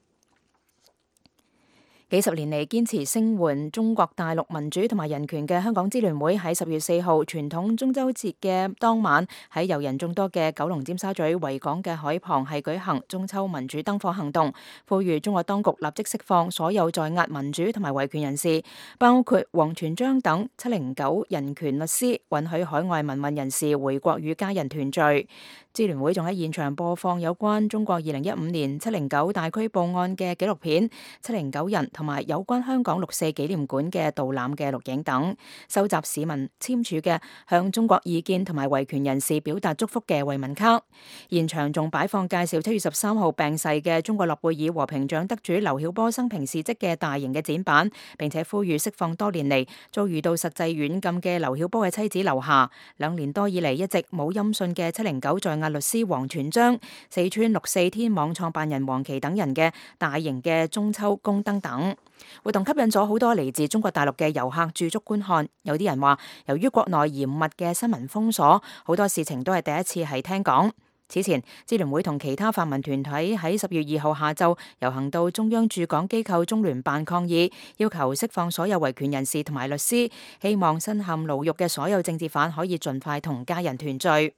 幾十年嚟堅持聲援中國大陸民主同埋人權嘅香港支聯會喺十月四號傳統中秋節嘅當晚，喺遊人眾多嘅九龍尖沙咀維港嘅海旁係舉行中秋民主燈火行動，呼籲中國當局立即釋放所有在押民主同埋維權人士，包括王全璋等七零九人權律師，允許海外民運人士回國與家人團聚。支聯會仲喺現場播放有關中國二零一五年七零九大拘捕案嘅紀錄片、七零九人同埋有關香港六四紀念館嘅導覽嘅錄影等，收集市民簽署嘅向中國異見同埋維權人士表達祝福嘅慰問卡。現場仲擺放介紹七月十三號病逝嘅中國諾貝爾和平獎得主劉曉波生平事蹟嘅大型嘅展板，並且呼籲釋放多年嚟遭遇到實際軟禁嘅劉曉波嘅妻子劉霞，兩年多以嚟一直冇音訊嘅七零九在押律師王全璋、四川六四天網創辦人黃琦等人嘅大型嘅中秋宮燈等活動，吸引咗好多嚟自中國大陸嘅遊客駐足觀看。有啲人話，由於國內嚴密嘅新聞封鎖，好多事情都係第一次係聽講。此前，支聯會同其他泛民團體喺十月二號下晝遊行到中央駐港機構中聯辦抗議，要求釋放所有維權人士同埋律師，希望身陷牢獄嘅所有政治犯可以盡快同家人團聚。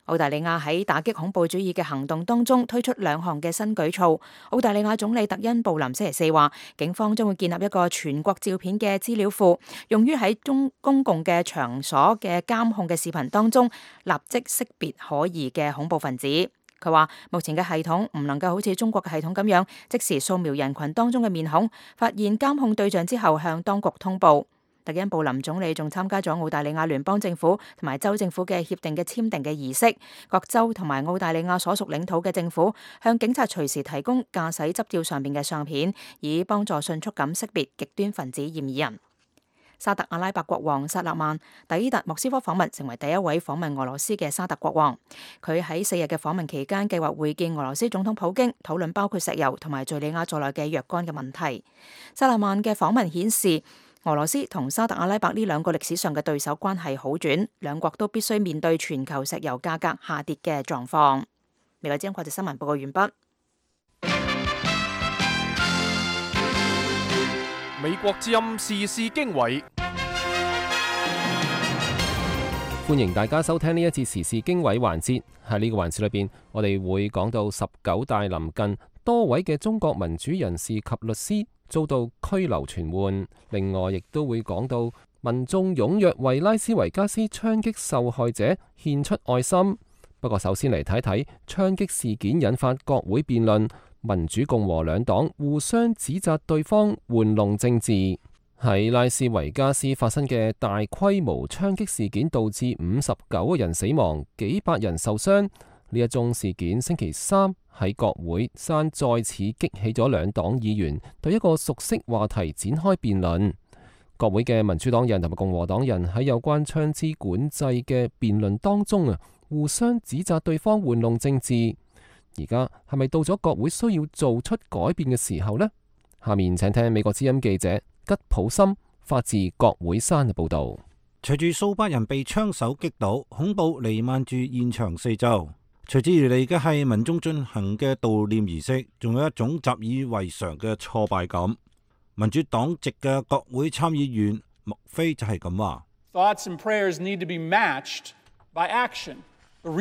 澳大利亞喺打擊恐怖主義嘅行動當中推出兩項嘅新舉措。澳大利亞總理特恩布林星期四話，警方將會建立一個全國照片嘅資料庫，用於喺中公共嘅場所嘅監控嘅視頻當中立即識別可疑嘅恐怖分子。佢話目前嘅系統唔能夠好似中國嘅系統咁樣，即時掃描人群當中嘅面孔，發現監控對象之後向當局通報。特恩布林總理仲參加咗澳大利亞聯邦政府同埋州政府嘅協定嘅簽訂嘅儀式。各州同埋澳大利亞所屬領土嘅政府向警察隨時提供駕駛執照上面嘅相片，以幫助迅速咁識別極端分子嫌疑人。沙特阿拉伯國王薩勒曼抵達莫斯科訪問，成為第一位訪問俄羅斯嘅沙特國王。佢喺四日嘅訪問期間，計劃會見俄羅斯總統普京，討論包括石油同埋敘利亞在內嘅若干嘅問題。薩勒曼嘅訪問顯示，俄羅斯同沙特阿拉伯呢兩個歷史上嘅對手關係好轉，兩國都必須面對全球石油價格下跌嘅狀況。美國之音國際新聞報告完畢。
美國之音時事經緯，
歡迎大家收聽呢一節時事經緯環節。喺呢個環節裏邊，我哋會講到十九大臨近，多位嘅中國民主人士及律師遭到拘留傳喚。另外，亦都會講到民眾踴躍為拉斯維加斯槍擊受害者獻出愛心。不過，首先嚟睇睇槍擊事件引發國會辯論。民主共和兩黨互相指責對方玩弄政治。喺拉斯維加斯發生嘅大規模槍擊事件，導致五十九個人死亡，幾百人受傷。呢一宗事件星期三喺國會山再次激起咗兩黨議員對一個熟悉話題展開辯論。國會嘅民主黨人同埋共和黨人喺有關槍支管制嘅辯論當中啊，互相指責對方玩弄政治。而家係咪到咗國會需要做出改變嘅時候呢？下面請聽美國之音記者吉普森發自國會山嘅報道。
隨住數百人被槍手擊倒，恐怖彌漫住現場四周。隨之而嚟嘅係民眾進行嘅悼念儀式，仲有一種習以為常嘅挫敗感。民主黨籍嘅國會參議員麥菲就係咁話。
Thoughts and prayers need to be matched by action.
麥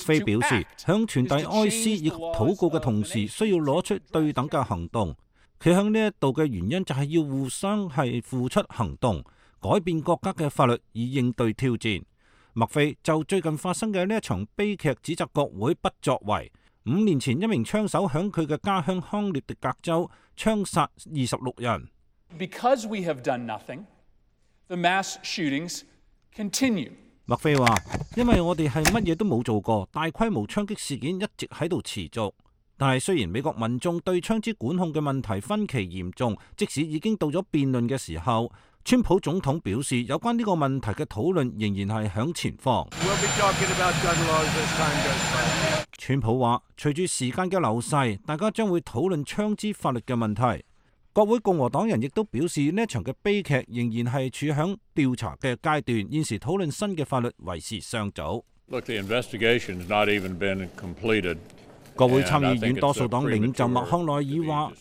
菲表示，向傳遞哀思以及禱告嘅同時，需要攞出對等嘅行動。佢向呢一度嘅原因就係要互相係付出行動，改變國家嘅法律以應對挑戰。麥菲就最近發生嘅呢一場悲劇指責國會不作為。五年前，一名槍手響佢嘅家鄉康涅狄格州槍殺二十六人。
Because we have done nothing, the mass shootings continue.
麥菲話：因為我哋係乜嘢都冇做過，大規模槍擊事件一直喺度持續。但係雖然美國民眾對槍支管控嘅問題分歧嚴重，即使已經到咗辯論嘅時候，川普總統表示有關呢個問題嘅討論仍然係響前方。川普話：隨住時間嘅流逝，大家將會討論槍支法律嘅問題。國會共和黨人亦都表示，呢一場嘅悲劇仍然係處響調查嘅階段，現時討論新嘅法律為時尚早。
Look, the investigation has not even been completed.
國會參議院多數黨領袖麥康奈爾話：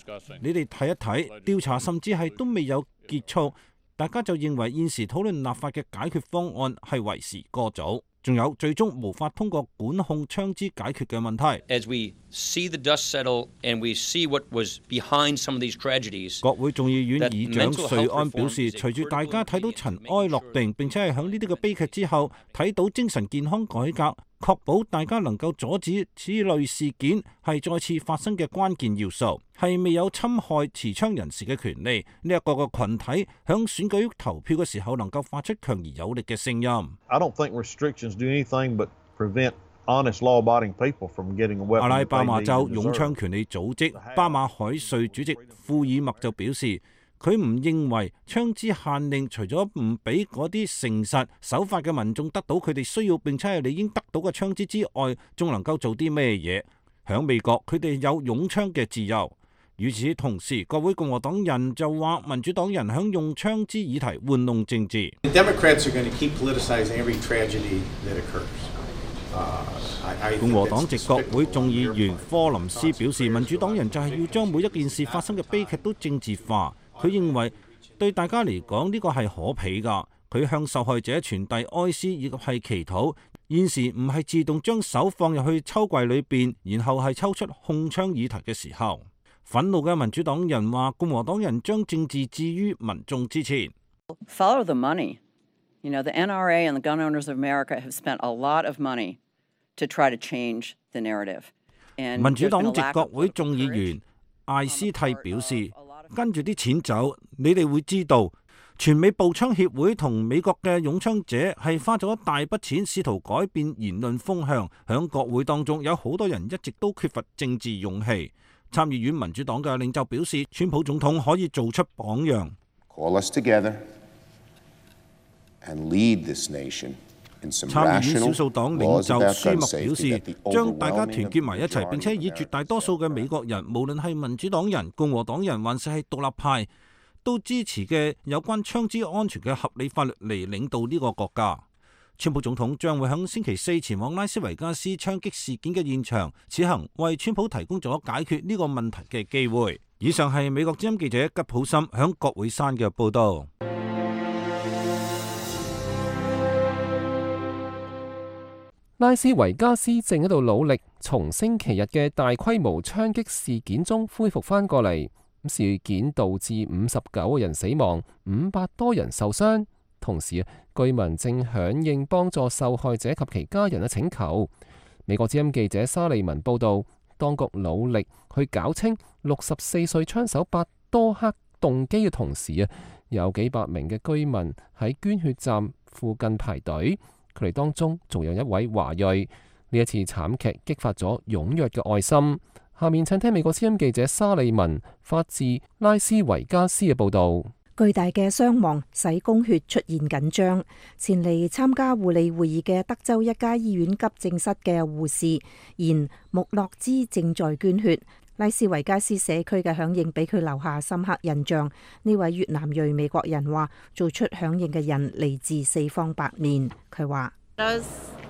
你哋睇一睇，調查甚至係都未有結束，大家就認為現時討論立法嘅解決方案係為時過早。仲有最終無法通過管控槍支解決嘅問題。
As we see the dust settle and we see what was behind some of these tragedies，
國會眾議院議長瑞安表示，隨住大家睇到塵埃落定，並且係喺呢啲嘅悲劇之後，睇到精神健康改革，確保大家能夠阻止此類事件係再次發生嘅關鍵要素，係未有侵害持槍人士嘅權利。呢一個個群體響選舉投票嘅時候，能夠發出強而有力嘅聲音。
I don't think restrictions do anything but prevent honest law-abiding people from getting a weapon.
阿拉巴馬州擁槍權利組織巴馬海瑞主席庫爾默就表示，佢唔認為槍支限令除咗唔俾嗰啲誠實守法嘅民眾得到佢哋需要並且係理應得到嘅槍支之外，仲能夠做啲咩嘢？響美國，佢哋有擁槍嘅自由。與此同時，國會共和黨人就話民主黨人響用槍支議題玩弄政治。共和黨籍國會眾議員科林斯表示，民主黨人就係要將每一件事發生嘅悲劇都政治化。佢認為對大家嚟講呢個係可鄙㗎。佢向受害者傳遞哀思以及係祈禱。現時唔係自動將手放入去抽櫃裏邊，然後係抽出控槍議題嘅時候。憤怒嘅民主黨人話，共和黨人將政治置於民眾之前。
Follow the money. You know, the N R A and the gun owners of America have spent a lot of money to try to change the narrative.
民主黨籍國會眾議員艾斯蒂表示，跟住啲錢走，你哋會知道。全美步槍協會同美國嘅擁槍者係花咗一大筆錢，試圖改變言論風向。響國會當中有好多人一直都缺乏政治勇氣。參議院民主黨嘅領袖表示，川普總統可以做出榜樣。
Call us together and lead this nation in some
參議院
rational
少數黨領袖
laws about
舒
gun
默表
safety
示
that the，
將大家團
overwhelming
結埋一齊，並且以
majority
絕大多數嘅美國人，無論係民主黨人、共和黨人，還是係獨立派，都支持嘅有關槍支安全嘅合理法律嚟領導呢個國家。川普總統將會喺星期四前往拉斯維加斯槍擊事件嘅現場，此行為川普提供咗解決呢個問題嘅機會。以上係美國之音記者吉普森響國會山嘅報道。
拉斯維加斯正喺度努力從星期日嘅大規模槍擊事件中恢復翻過嚟。事件導致五十九個人死亡，五百多人受傷。同時，居民正響應幫助受害者及其家人嘅請求。美國之音記者沙利文報道，當局努力去搞清六十四歲槍手伯多克動機嘅同時啊，有幾百名嘅居民喺捐血站附近排隊，佢哋當中仲有一位華裔。呢一次慘劇激發咗踴躍嘅愛心。下面請聽美國之音記者沙利文發自拉斯維加斯嘅報道。
巨大嘅傷亡使供血出現緊張。前嚟參加護理會議嘅德州一家醫院急症室嘅護士言穆洛茲正在捐血。拉斯維加斯社區嘅響應俾佢留下深刻印象。呢位越南裔美國人話，做出響應嘅人嚟自四方八面。佢話
I was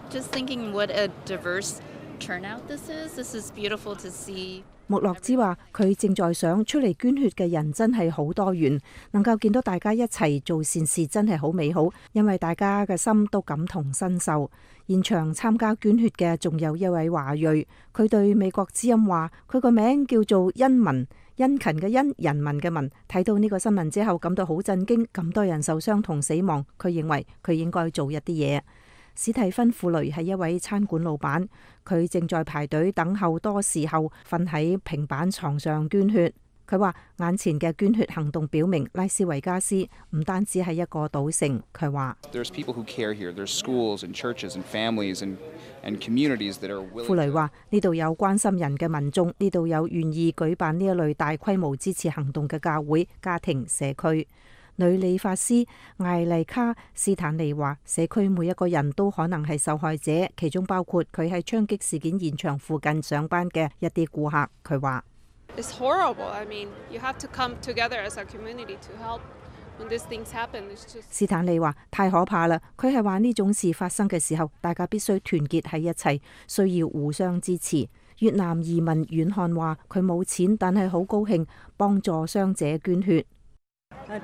just thinking what a diverse turnout this is. This is beautiful to see.
穆洛茲話：佢正在想出嚟捐血嘅人真係好多元，能夠見到大家一齊做善事真係好美好，因為大家嘅心都感同身受。現場參加捐血嘅仲有一位華裔，佢對美國之音話：佢個名叫做殷民，殷勤嘅殷，人民嘅民。睇到呢個新聞之後，感到好震驚，咁多人受傷同死亡，佢認為佢應該做一啲嘢。史蒂芬·庫雷係一位餐館老闆，佢正在排隊等候，多時候瞓喺平板床上捐血。佢話眼前嘅捐血行動表明拉斯維加斯唔單止係一個賭城。佢話庫雷話呢度有關心人嘅民眾，呢度有願意舉辦呢一類大規模支持行動嘅教會、家庭、社區。女理髮師艾麗卡斯坦尼話：社區每一個人都可能係受害者，其中包括佢喺槍擊事件現場附近上班嘅一啲顧客。佢話
：It's horrible. I mean, you have to come together as a community to help when these things happen. It's just
斯坦利話：太可怕啦！佢係話呢種事發生嘅時候，大家必須團結喺一齊，需要互相支持。越南移民遠漢話：佢冇錢，但係好高興幫助傷者捐血。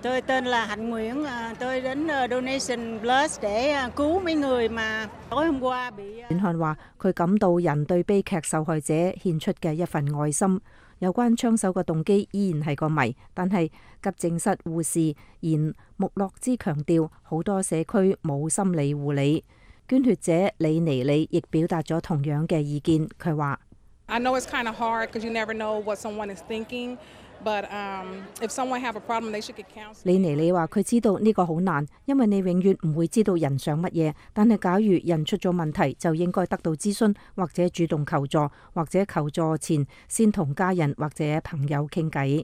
Tôi tên là Hạnh Nguyễn, tôi đến Donation Plus để cứu mấy người mà tối hôm qua bị。
遠漢話：佢感到人對悲劇受害者獻出嘅一份愛心。有關槍手嘅動機依然係個謎，但係急症室護士言穆洛茲強調，好多社區冇心理護理。捐血者李尼里亦表達咗同樣嘅意見。佢話
：I know it's kind of hard because you never know what someone is thinking. But, um, if someone have a problem, they should get counseling.
李尼里話：佢知道呢個好難，因為你永遠唔會知道人想乜嘢。但係假如人出咗問題，就應該得到諮詢，或者主動求助，或者求助前先同家人或者朋友傾偈。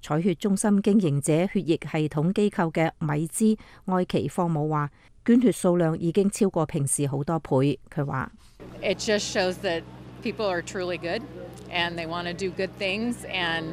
採血中心經營者血液系統機構嘅米茲愛奇科姆話：捐血數量已經超過平時好多倍。佢話
：It just shows that people are truly good and they want to do good things and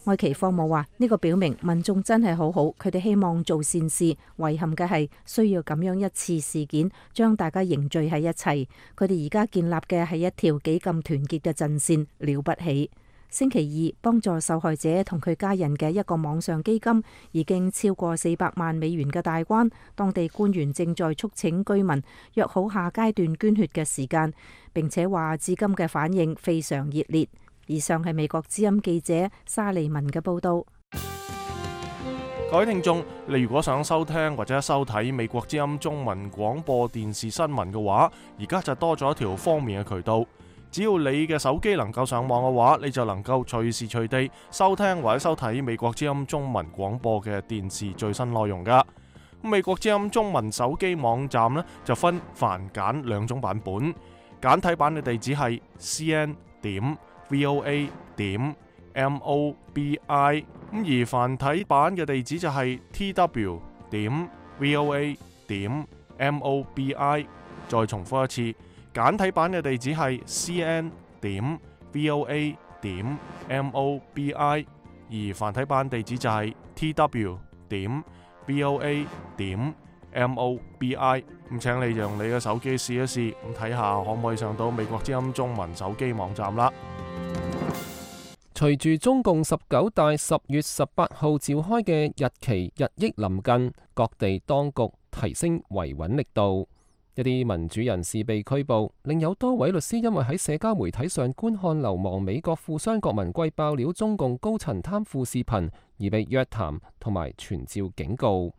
愛奇科姆話：呢個表明民眾真係好好，佢哋希望做善事。遺憾嘅係需要咁樣一次事件將大家凝聚喺一齊。佢哋而家建立嘅係一條幾咁團結嘅陣線，了不起。星期二幫助受害者同佢家人嘅一個網上基金已經超過四百萬美元嘅大關，當地官員正在促請居民約好下階段捐血嘅時間，並且話至今嘅反應非常熱烈。以上係美國之音記者沙利文嘅報道。
各位聽眾，你如果想收聽或者收睇美國之音中文廣播電視新聞嘅話，而家就多咗一條方便嘅渠道。只要你嘅手機能夠上網嘅話，你就能夠隨時隨地收聽或者收睇美國之音中文廣播嘅電視最新內容噶。美國之音中文手機網站呢，就分繁簡兩種版本，簡體版嘅地址係 c n 點 v o a 點 m o b i， 咁而繁體版嘅地址就係 t w 點 v o a 點 m o b i。 再重複一次，簡體版嘅地址係 c n 點 v o a 點 m o b i， 而繁體版地址就係 t w 點 v o a 點 m o b i。 咁請你用你嘅手機試一試，咁睇下可唔可以上到美國之音中文手機網站啦。
隨住中共十九大十月十八號召開嘅日期日益臨近，各地當局提升維穩力度，一啲民主人士被拘捕，另有多位律師因為喺社交媒體上觀看流亡美國富商郭文貴爆料中共高層貪腐視頻而被約談同埋傳召警告。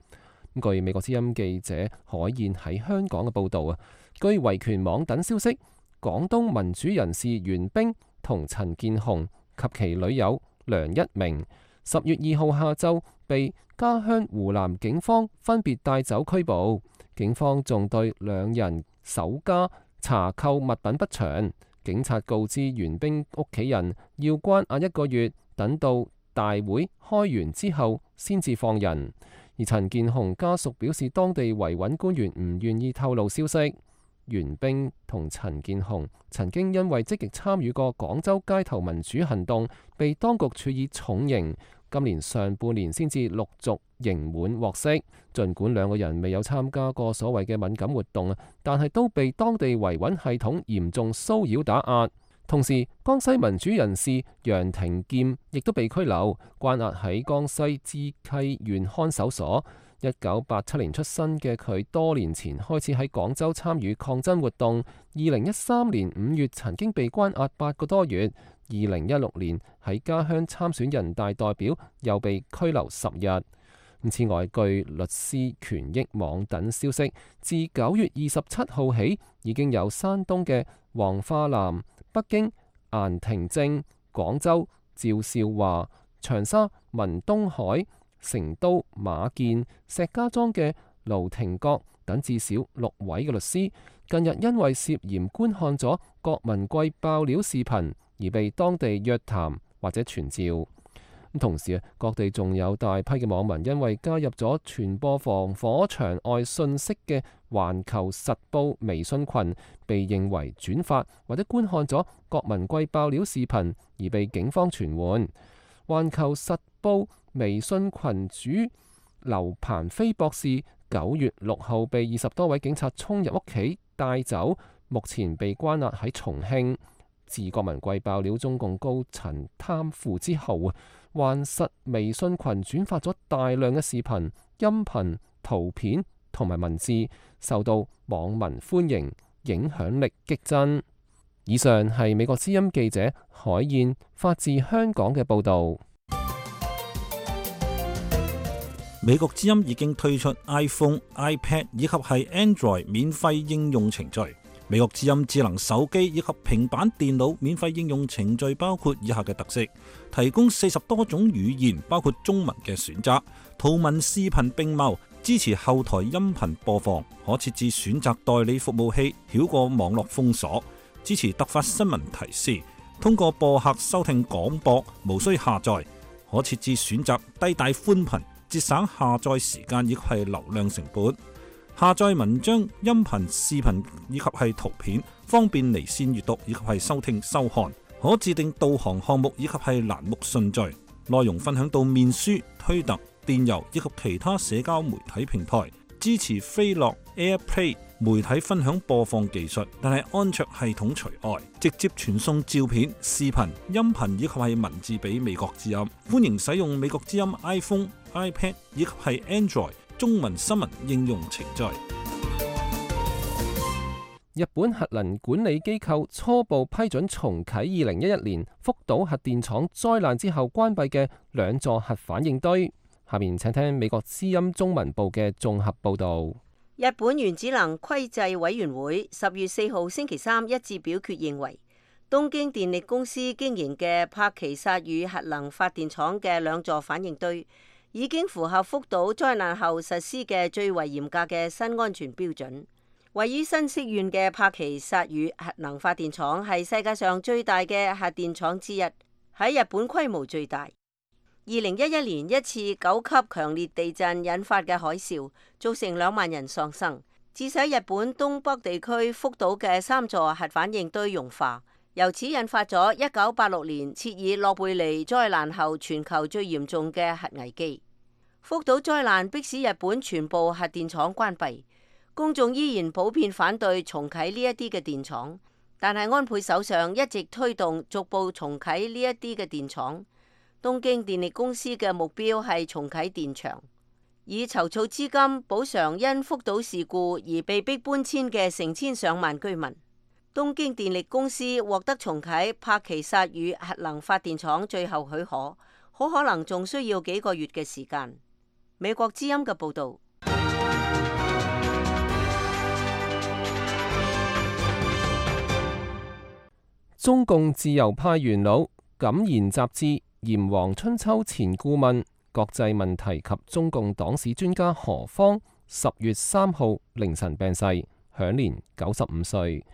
據美國之音記者海燕喺香港嘅報導啊，據維權網等消息，廣東民主人士袁冰同陳建雄及其女友梁一鳴十月二號下晝被家鄉湖南警方分別帶走拘捕。警方仲對兩人首家查扣物品不詳，警察告知袁冰屋企人要關押一個月，等到大會開完之後先至放人。而陳建雄家屬表示，當地維穩官員唔願意透露消息。袁冰同陳建雄曾經因為積極參與過廣州街頭民主行動，被當局處以重刑。今年上半年先至陸續刑滿獲釋。儘管兩個人未有參加過所謂嘅敏感活動，但係都被當地維穩系統嚴重騷擾打壓。同時，江西民主人士楊廷劍亦都被拘留，關押喺江西支溪縣看守所。一九八七年出生嘅佢，多年前開始喺廣州參與抗爭活動。二零一三年五月曾經被關押八個多月。二零一六年喺家鄉參選人大代表，又被拘留十日。此外，據律師權益網等消息，自九月二十七號起，已經有山東嘅黃化南、北京顏廷正、廣州趙少華、長沙文東海、成都馬建、石家莊嘅盧廷國等至少六位嘅律師，近日因為涉嫌觀看咗郭文貴爆料視頻而被當地約談或者傳召。同時啊，各地仲有大批嘅網民因為加入咗傳播防火牆外信息嘅環球實報微信群，被認為轉發或者觀看咗郭文貴爆料視頻而被警方傳喚。環球實報微信群主劉鵬飛博士九月六號被二十多位警察衝入屋企帶走，目前被關押喺重慶。自郭文貴爆料中共高層貪腐之後啊，環實微信群轉發咗大量嘅視頻、音頻、圖片同埋文字，受到網民歡迎，影響力激增。以上係美國之音記者海燕發自香港嘅報導。
美國之音已經推出 iPhone、iPad 以及係 Android 免費應用程序。美國之音智能手機以及平板電腦免費應用程序包括以下嘅特色：提供四十多種語言，包括中文嘅選擇，圖文視頻並茂，支持後台音頻播放，可設置選擇代理服務器，繞過網絡封鎖，支持突發新聞提示，通過播客收聽廣播，無需下載，可設置選擇低帶寬頻，節省下載時間以及係流量成本。下載文章、音頻、視頻以及係圖片，方便離線閱讀以及係收聽收看。可自定導航項目以及係欄目順序。內容分享到面書、推特、電郵以及其他社交媒體平台。支持飛樂 AirPlay 媒體分享播放技術，但係安卓系統除外。直接傳送照片、視頻、音頻以及係文字俾美國之音。歡迎使用美國之音 iPhone、iPad 以及係 Android中文新聞應用程序。
日本核能管理機構初步批准重啟二零一一年福島核電廠災難之後關閉嘅兩座核反應堆。下面請聽美國之音中文部嘅綜合報導。
日本原子能規制委員會十月四號星期三一致表決認為，東京電力公司經營嘅柏奇薩爾核能發電廠嘅兩座反應堆已經符合福島災難後實施嘅最為嚴格嘅新安全標準。位於新潟縣嘅柏奇薩爾核能發電廠係世界上最大嘅核電廠之一，喺日本規模最大。二零一一年一次九級強烈地震引發嘅海嘯，造成兩萬人喪生，致使日本東北地區福島嘅三座核反應堆融化。由此引發咗一九八六年切爾諾貝利災難後全球最嚴重嘅核危機。福島災難迫使日本全部核電廠關閉，公眾依然普遍反對重啟呢一啲嘅電廠，但係安倍首相一直推動逐步重啟呢一啲嘅電廠。東京電力公司嘅目標係重啟電廠，以籌措資金補償因福島事故而被迫搬遷嘅成千上萬居民。東京電力公司獲得重啟柏奇薩爾核能發電廠最後許可，好可能仲需要幾個月嘅時間。美國之音嘅報導。
中共自由派元老、敢言雜誌炎黃春秋前顧問、國際問題及中共黨史專家何方十月三號凌晨病逝，享年九十五歲。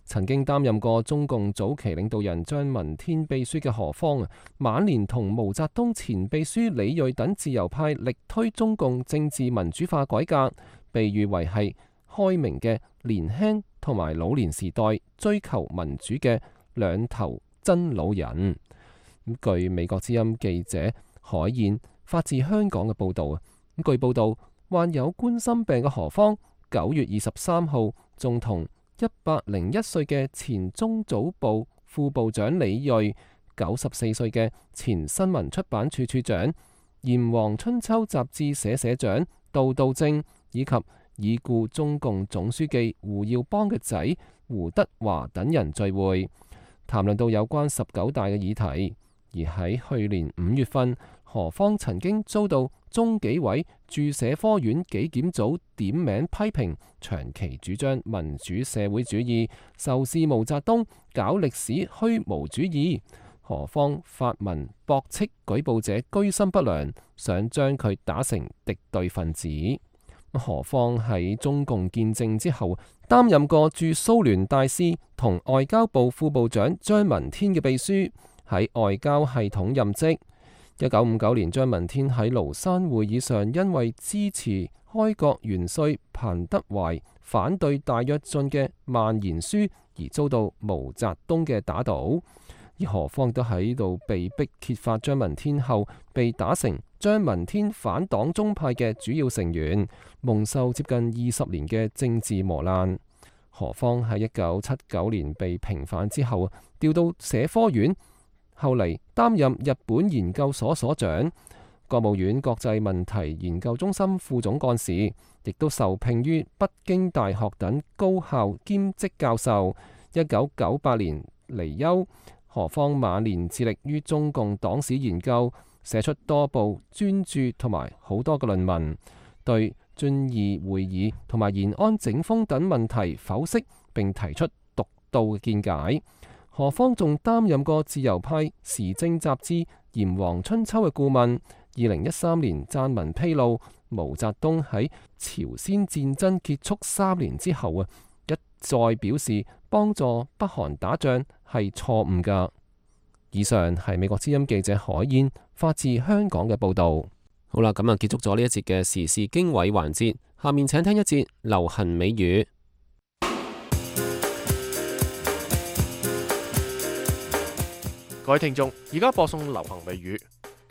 曾經擔任過中共早期領導人張聞天秘書嘅何方，晚年同毛澤東前秘書李銳等自由派力推中共政治民主化改革，被譽為係開明嘅年輕同埋老年時代追求民主嘅兩頭真老人。據美國之音記者海燕發自香港嘅報導啊，據報導患有冠心病嘅何方，九月二十三號仲同一百零一歲嘅前中組部副部長李銳、九十四歲嘅前新聞出版處處長、炎黃春秋雜誌社社長杜道正，以及已故中共總書記胡耀邦嘅仔胡德華等人聚會，談論到有關十九大嘅議題。而喺去年五月份，何方曾經遭到中紀委駐社科院紀檢組點名批評，長期主張民主社會主義，仇視毛澤東，搞歷史虛無主義。何方發文駁斥舉報者居心不良，想將佢打成敵對分子。何方喺中共建政之後，擔任過駐蘇聯大使同外交部副部長張聞天嘅秘書，喺外交系統任職。一九五九年，張聞天喺廬山會議上，因為支持開國元帥彭德懷反對大躍進嘅萬言書，而遭到毛澤東嘅打倒。而何方都喺度被逼揭發張聞天後，被打成張聞天反黨中派嘅主要成員，蒙受接近二十年嘅政治磨難。何方喺一九七九年被平反之後，調到社科院。後嚟擔任日本研究所所長、國務院國際問題研究中心副總幹事，亦都受聘於北京大學等高校兼職教授。一九九八年離休。何方晚年致力於中共黨史研究，寫出多部專著同埋好多嘅論文，對遵義會議同埋延安整風等問題剖析並提出獨到嘅見解。何方仲擔任過自由派時政雜誌《炎黃春秋》嘅顧問。二零一三年撰文披露，毛澤東喺朝鮮戰爭結束三年之後啊，一再表示幫助北韓打仗係錯誤㗎。以上係美國之音記者海燕發自香港嘅報導。好啦，咁啊結束咗呢一節嘅時事經緯環節，下面請聽一節流行美語。
各位聽眾，而家播送流行美語。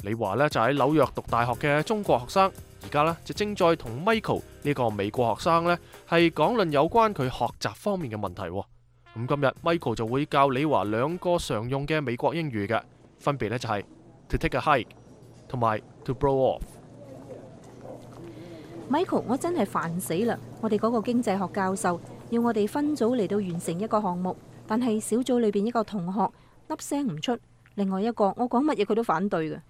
李華呢就喺紐約讀大學嘅中國學生，而家呢就正在同 Michael 呢個美國學生呢係講論有關佢學習方面嘅問題。咁今日 Michael 就會教李華兩個常用嘅美國英語嘅，分別呢就係 to take a hike 同埋 to blow off。Michael，
我真係煩死啦！我哋嗰個經濟學教授要我哋分組嚟到完成一個項目，但係小組裏邊一個同學粒聲唔出，另外一個我講乜嘢佢都反對嘅。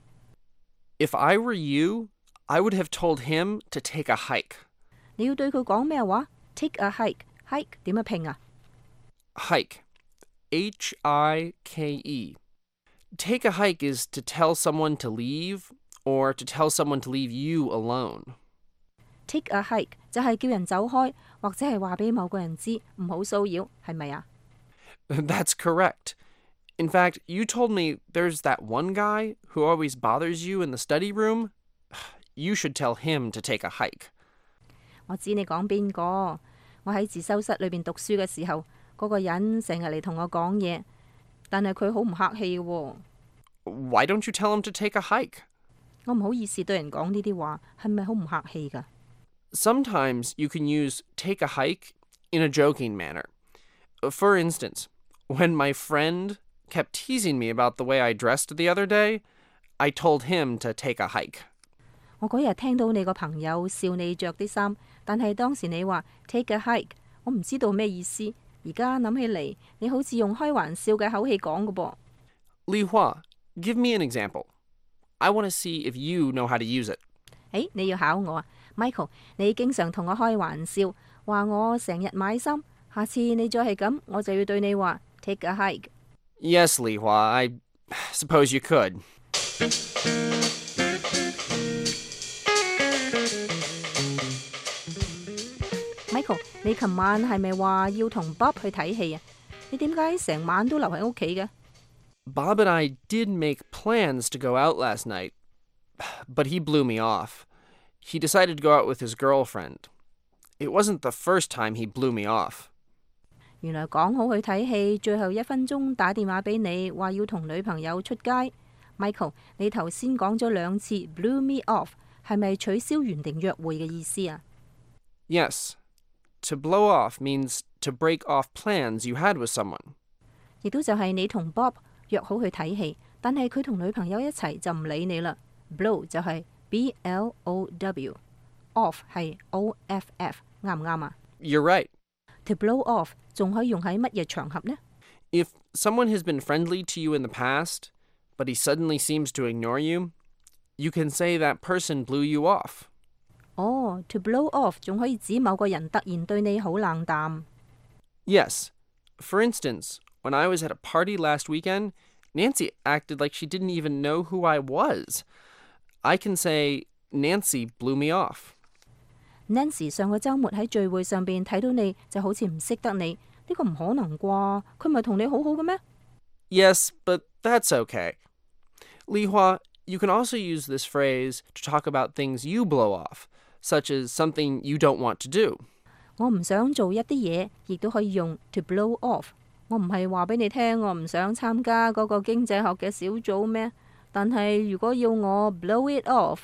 If I were you, I would have told him to take a hike.
你要對佢講咩話 ？Take a hike，hike 點樣拼啊
？Hike H I K E. Take a hike is to tell someone to leave or to tell someone to leave you alone.
Take a hike 就係叫人走開，或者係話俾某個人知唔好騷擾，係咪啊？
That's correct. In fact, you told me there's that one guy who always bothers you in the study room. You should tell him to take a hike.
我知你講邊個？我喺自修室裏邊讀書嘅時候，嗰個人成日嚟同我講嘢，但係佢好唔客氣喎。
Why don't you tell him to take a hike?
我唔好意思對人講呢啲話，係咪好唔客氣㗎？
Sometimes you can use take a hike in a joking manner. For instance, when my friend kept teasing me about the way I dressed the other day, I told him to take a hike.
我嗰日聽到你個朋友笑你着啲衫，但係當時你話 take a hike， 我唔知道咩意思。而家諗起嚟，你好似用開玩笑嘅口氣講㗎噃。
Li Hua, give me an example. I want to see if you know how to use it.
誒，你要考我啊 ，Michael， 你經常同我開玩笑，話我成日買衫。下次你再係咁，我就要對你話 take a hike。
Yes, Li Hua, I suppose you could.
Michael， 你琴晚係咪話要同 Bob 去睇戲啊？你點解成晚都留喺屋企嘅？
Bob and I did make plans to go out last night, but he blew me off. He decided to go out with his girlfriend. It wasn't the first time he blew me off.
原來講好去睇戲，最後一分鐘打電話俾你，話要同女朋友出街。Michael， 你頭先講咗兩次 blew me off， 係咪取消原定約會嘅意思啊？
Yes. To blow off means to break off plans you had with someone.
亦都就係你同 Bob 約好去睇戲，但係佢同女朋友一齊就唔理你啦。Blow 就係 B L O W，off 係 O F F， 啱唔啱啊？
You're right.
To blow off 仲可以用喺乜嘢場合呢？
If someone has been friendly to you in the past, but he suddenly seems to ignore you, you can say that person blew you off.
哦 to blow off 仲可以指某個人突然對你好冷淡。
Yes. For instance, when I was at a party last weekend, Nancy acted like she didn't even know who I was. I can say, Nancy blew me off.
Nancy 上個週末喺聚會上邊睇到你就好似唔識得你，呢個唔可能啩？佢咪同你好好嘅咩？
Yes, but that's okay. Li Hua, you can also use this phrase to talk about things you blow off, such as something you don't want to do.
我唔想做一啲嘢，亦都可以用 to blow off。我唔係話俾你聽，我唔想參加嗰個經濟學嘅小組咩？但係如果要我 blow it off，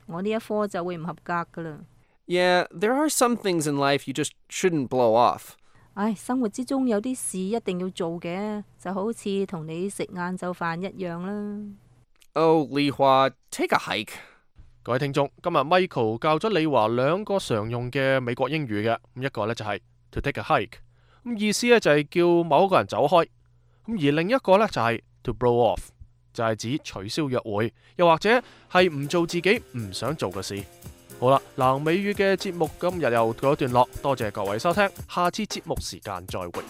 我呢一科就會唔合格噶啦。
Yeah, there are some things in life you just shouldn't blow off.
唉，生活之中有啲事一定要做嘅，就好似同你食晏晝飯一樣啦。
Oh, Li Hua, take a hike.
各位聽眾，今日 Michael 教咗李華兩個常用嘅美國英語嘅，咁一個呢就係 to take a hike， 咁意思呢就係叫某一個人走開，咁而另一個呢就係 to blow off， 就係指取消約會，又或者係唔做自己唔想做嘅事。好啦，南美語嘅節目今日又告一段落，多謝各位收聽，下次節目時間再會。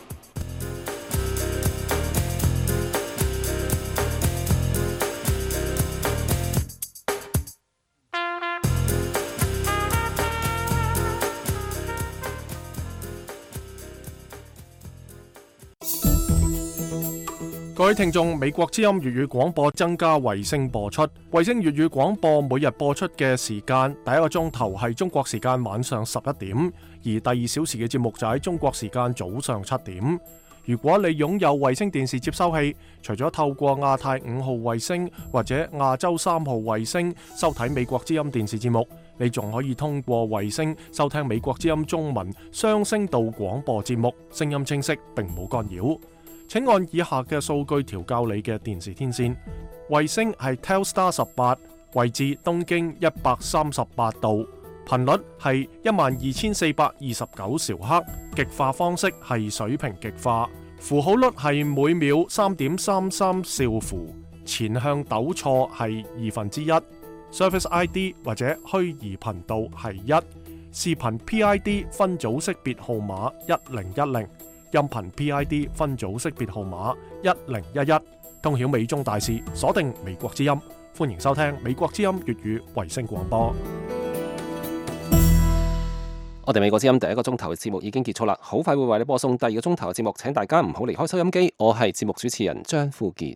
各位聽眾，美國之音粵語廣播增加衛星播出。衛星粵語廣播每日播出嘅時間，第一個鐘頭係中國時間晚上十一點，而第二小時嘅節目就喺中國時間早上七點。如果你擁有衛星電視接收器，除咗透過亞太五號衛星或者亞洲三號衛星收睇美國之音電視節目，你仲可以通過衛星收聽美國之音中文雙聲道廣播節目，聲音清晰並冇干擾。請按以下嘅數據調校你嘅電視天線。衛星係 Telstar 十八，位置東經一百三十八度，頻率係一萬二千四百二十九兆赫，極化方式係水平極化，符號率係每秒三點三三兆符，前向抖錯係二分之一 ，Service I D 或者虛擬頻道係一，視頻 P I D 分組識別號碼一零一零。音頻 P I D 分組識別號碼一零一一，通曉美中大事，鎖定美國之音。歡迎收聽美國之音粵語衛星廣播。
我哋美國之音第一個鐘頭嘅節目已經結束啦，好快會為你播送第二個鐘頭嘅節目，請大家唔好離開收音機。我係節目主持人張富傑。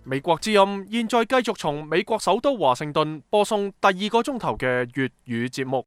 美國之音現在繼續從美國首都華盛頓播送第二個鐘頭嘅粵語節目。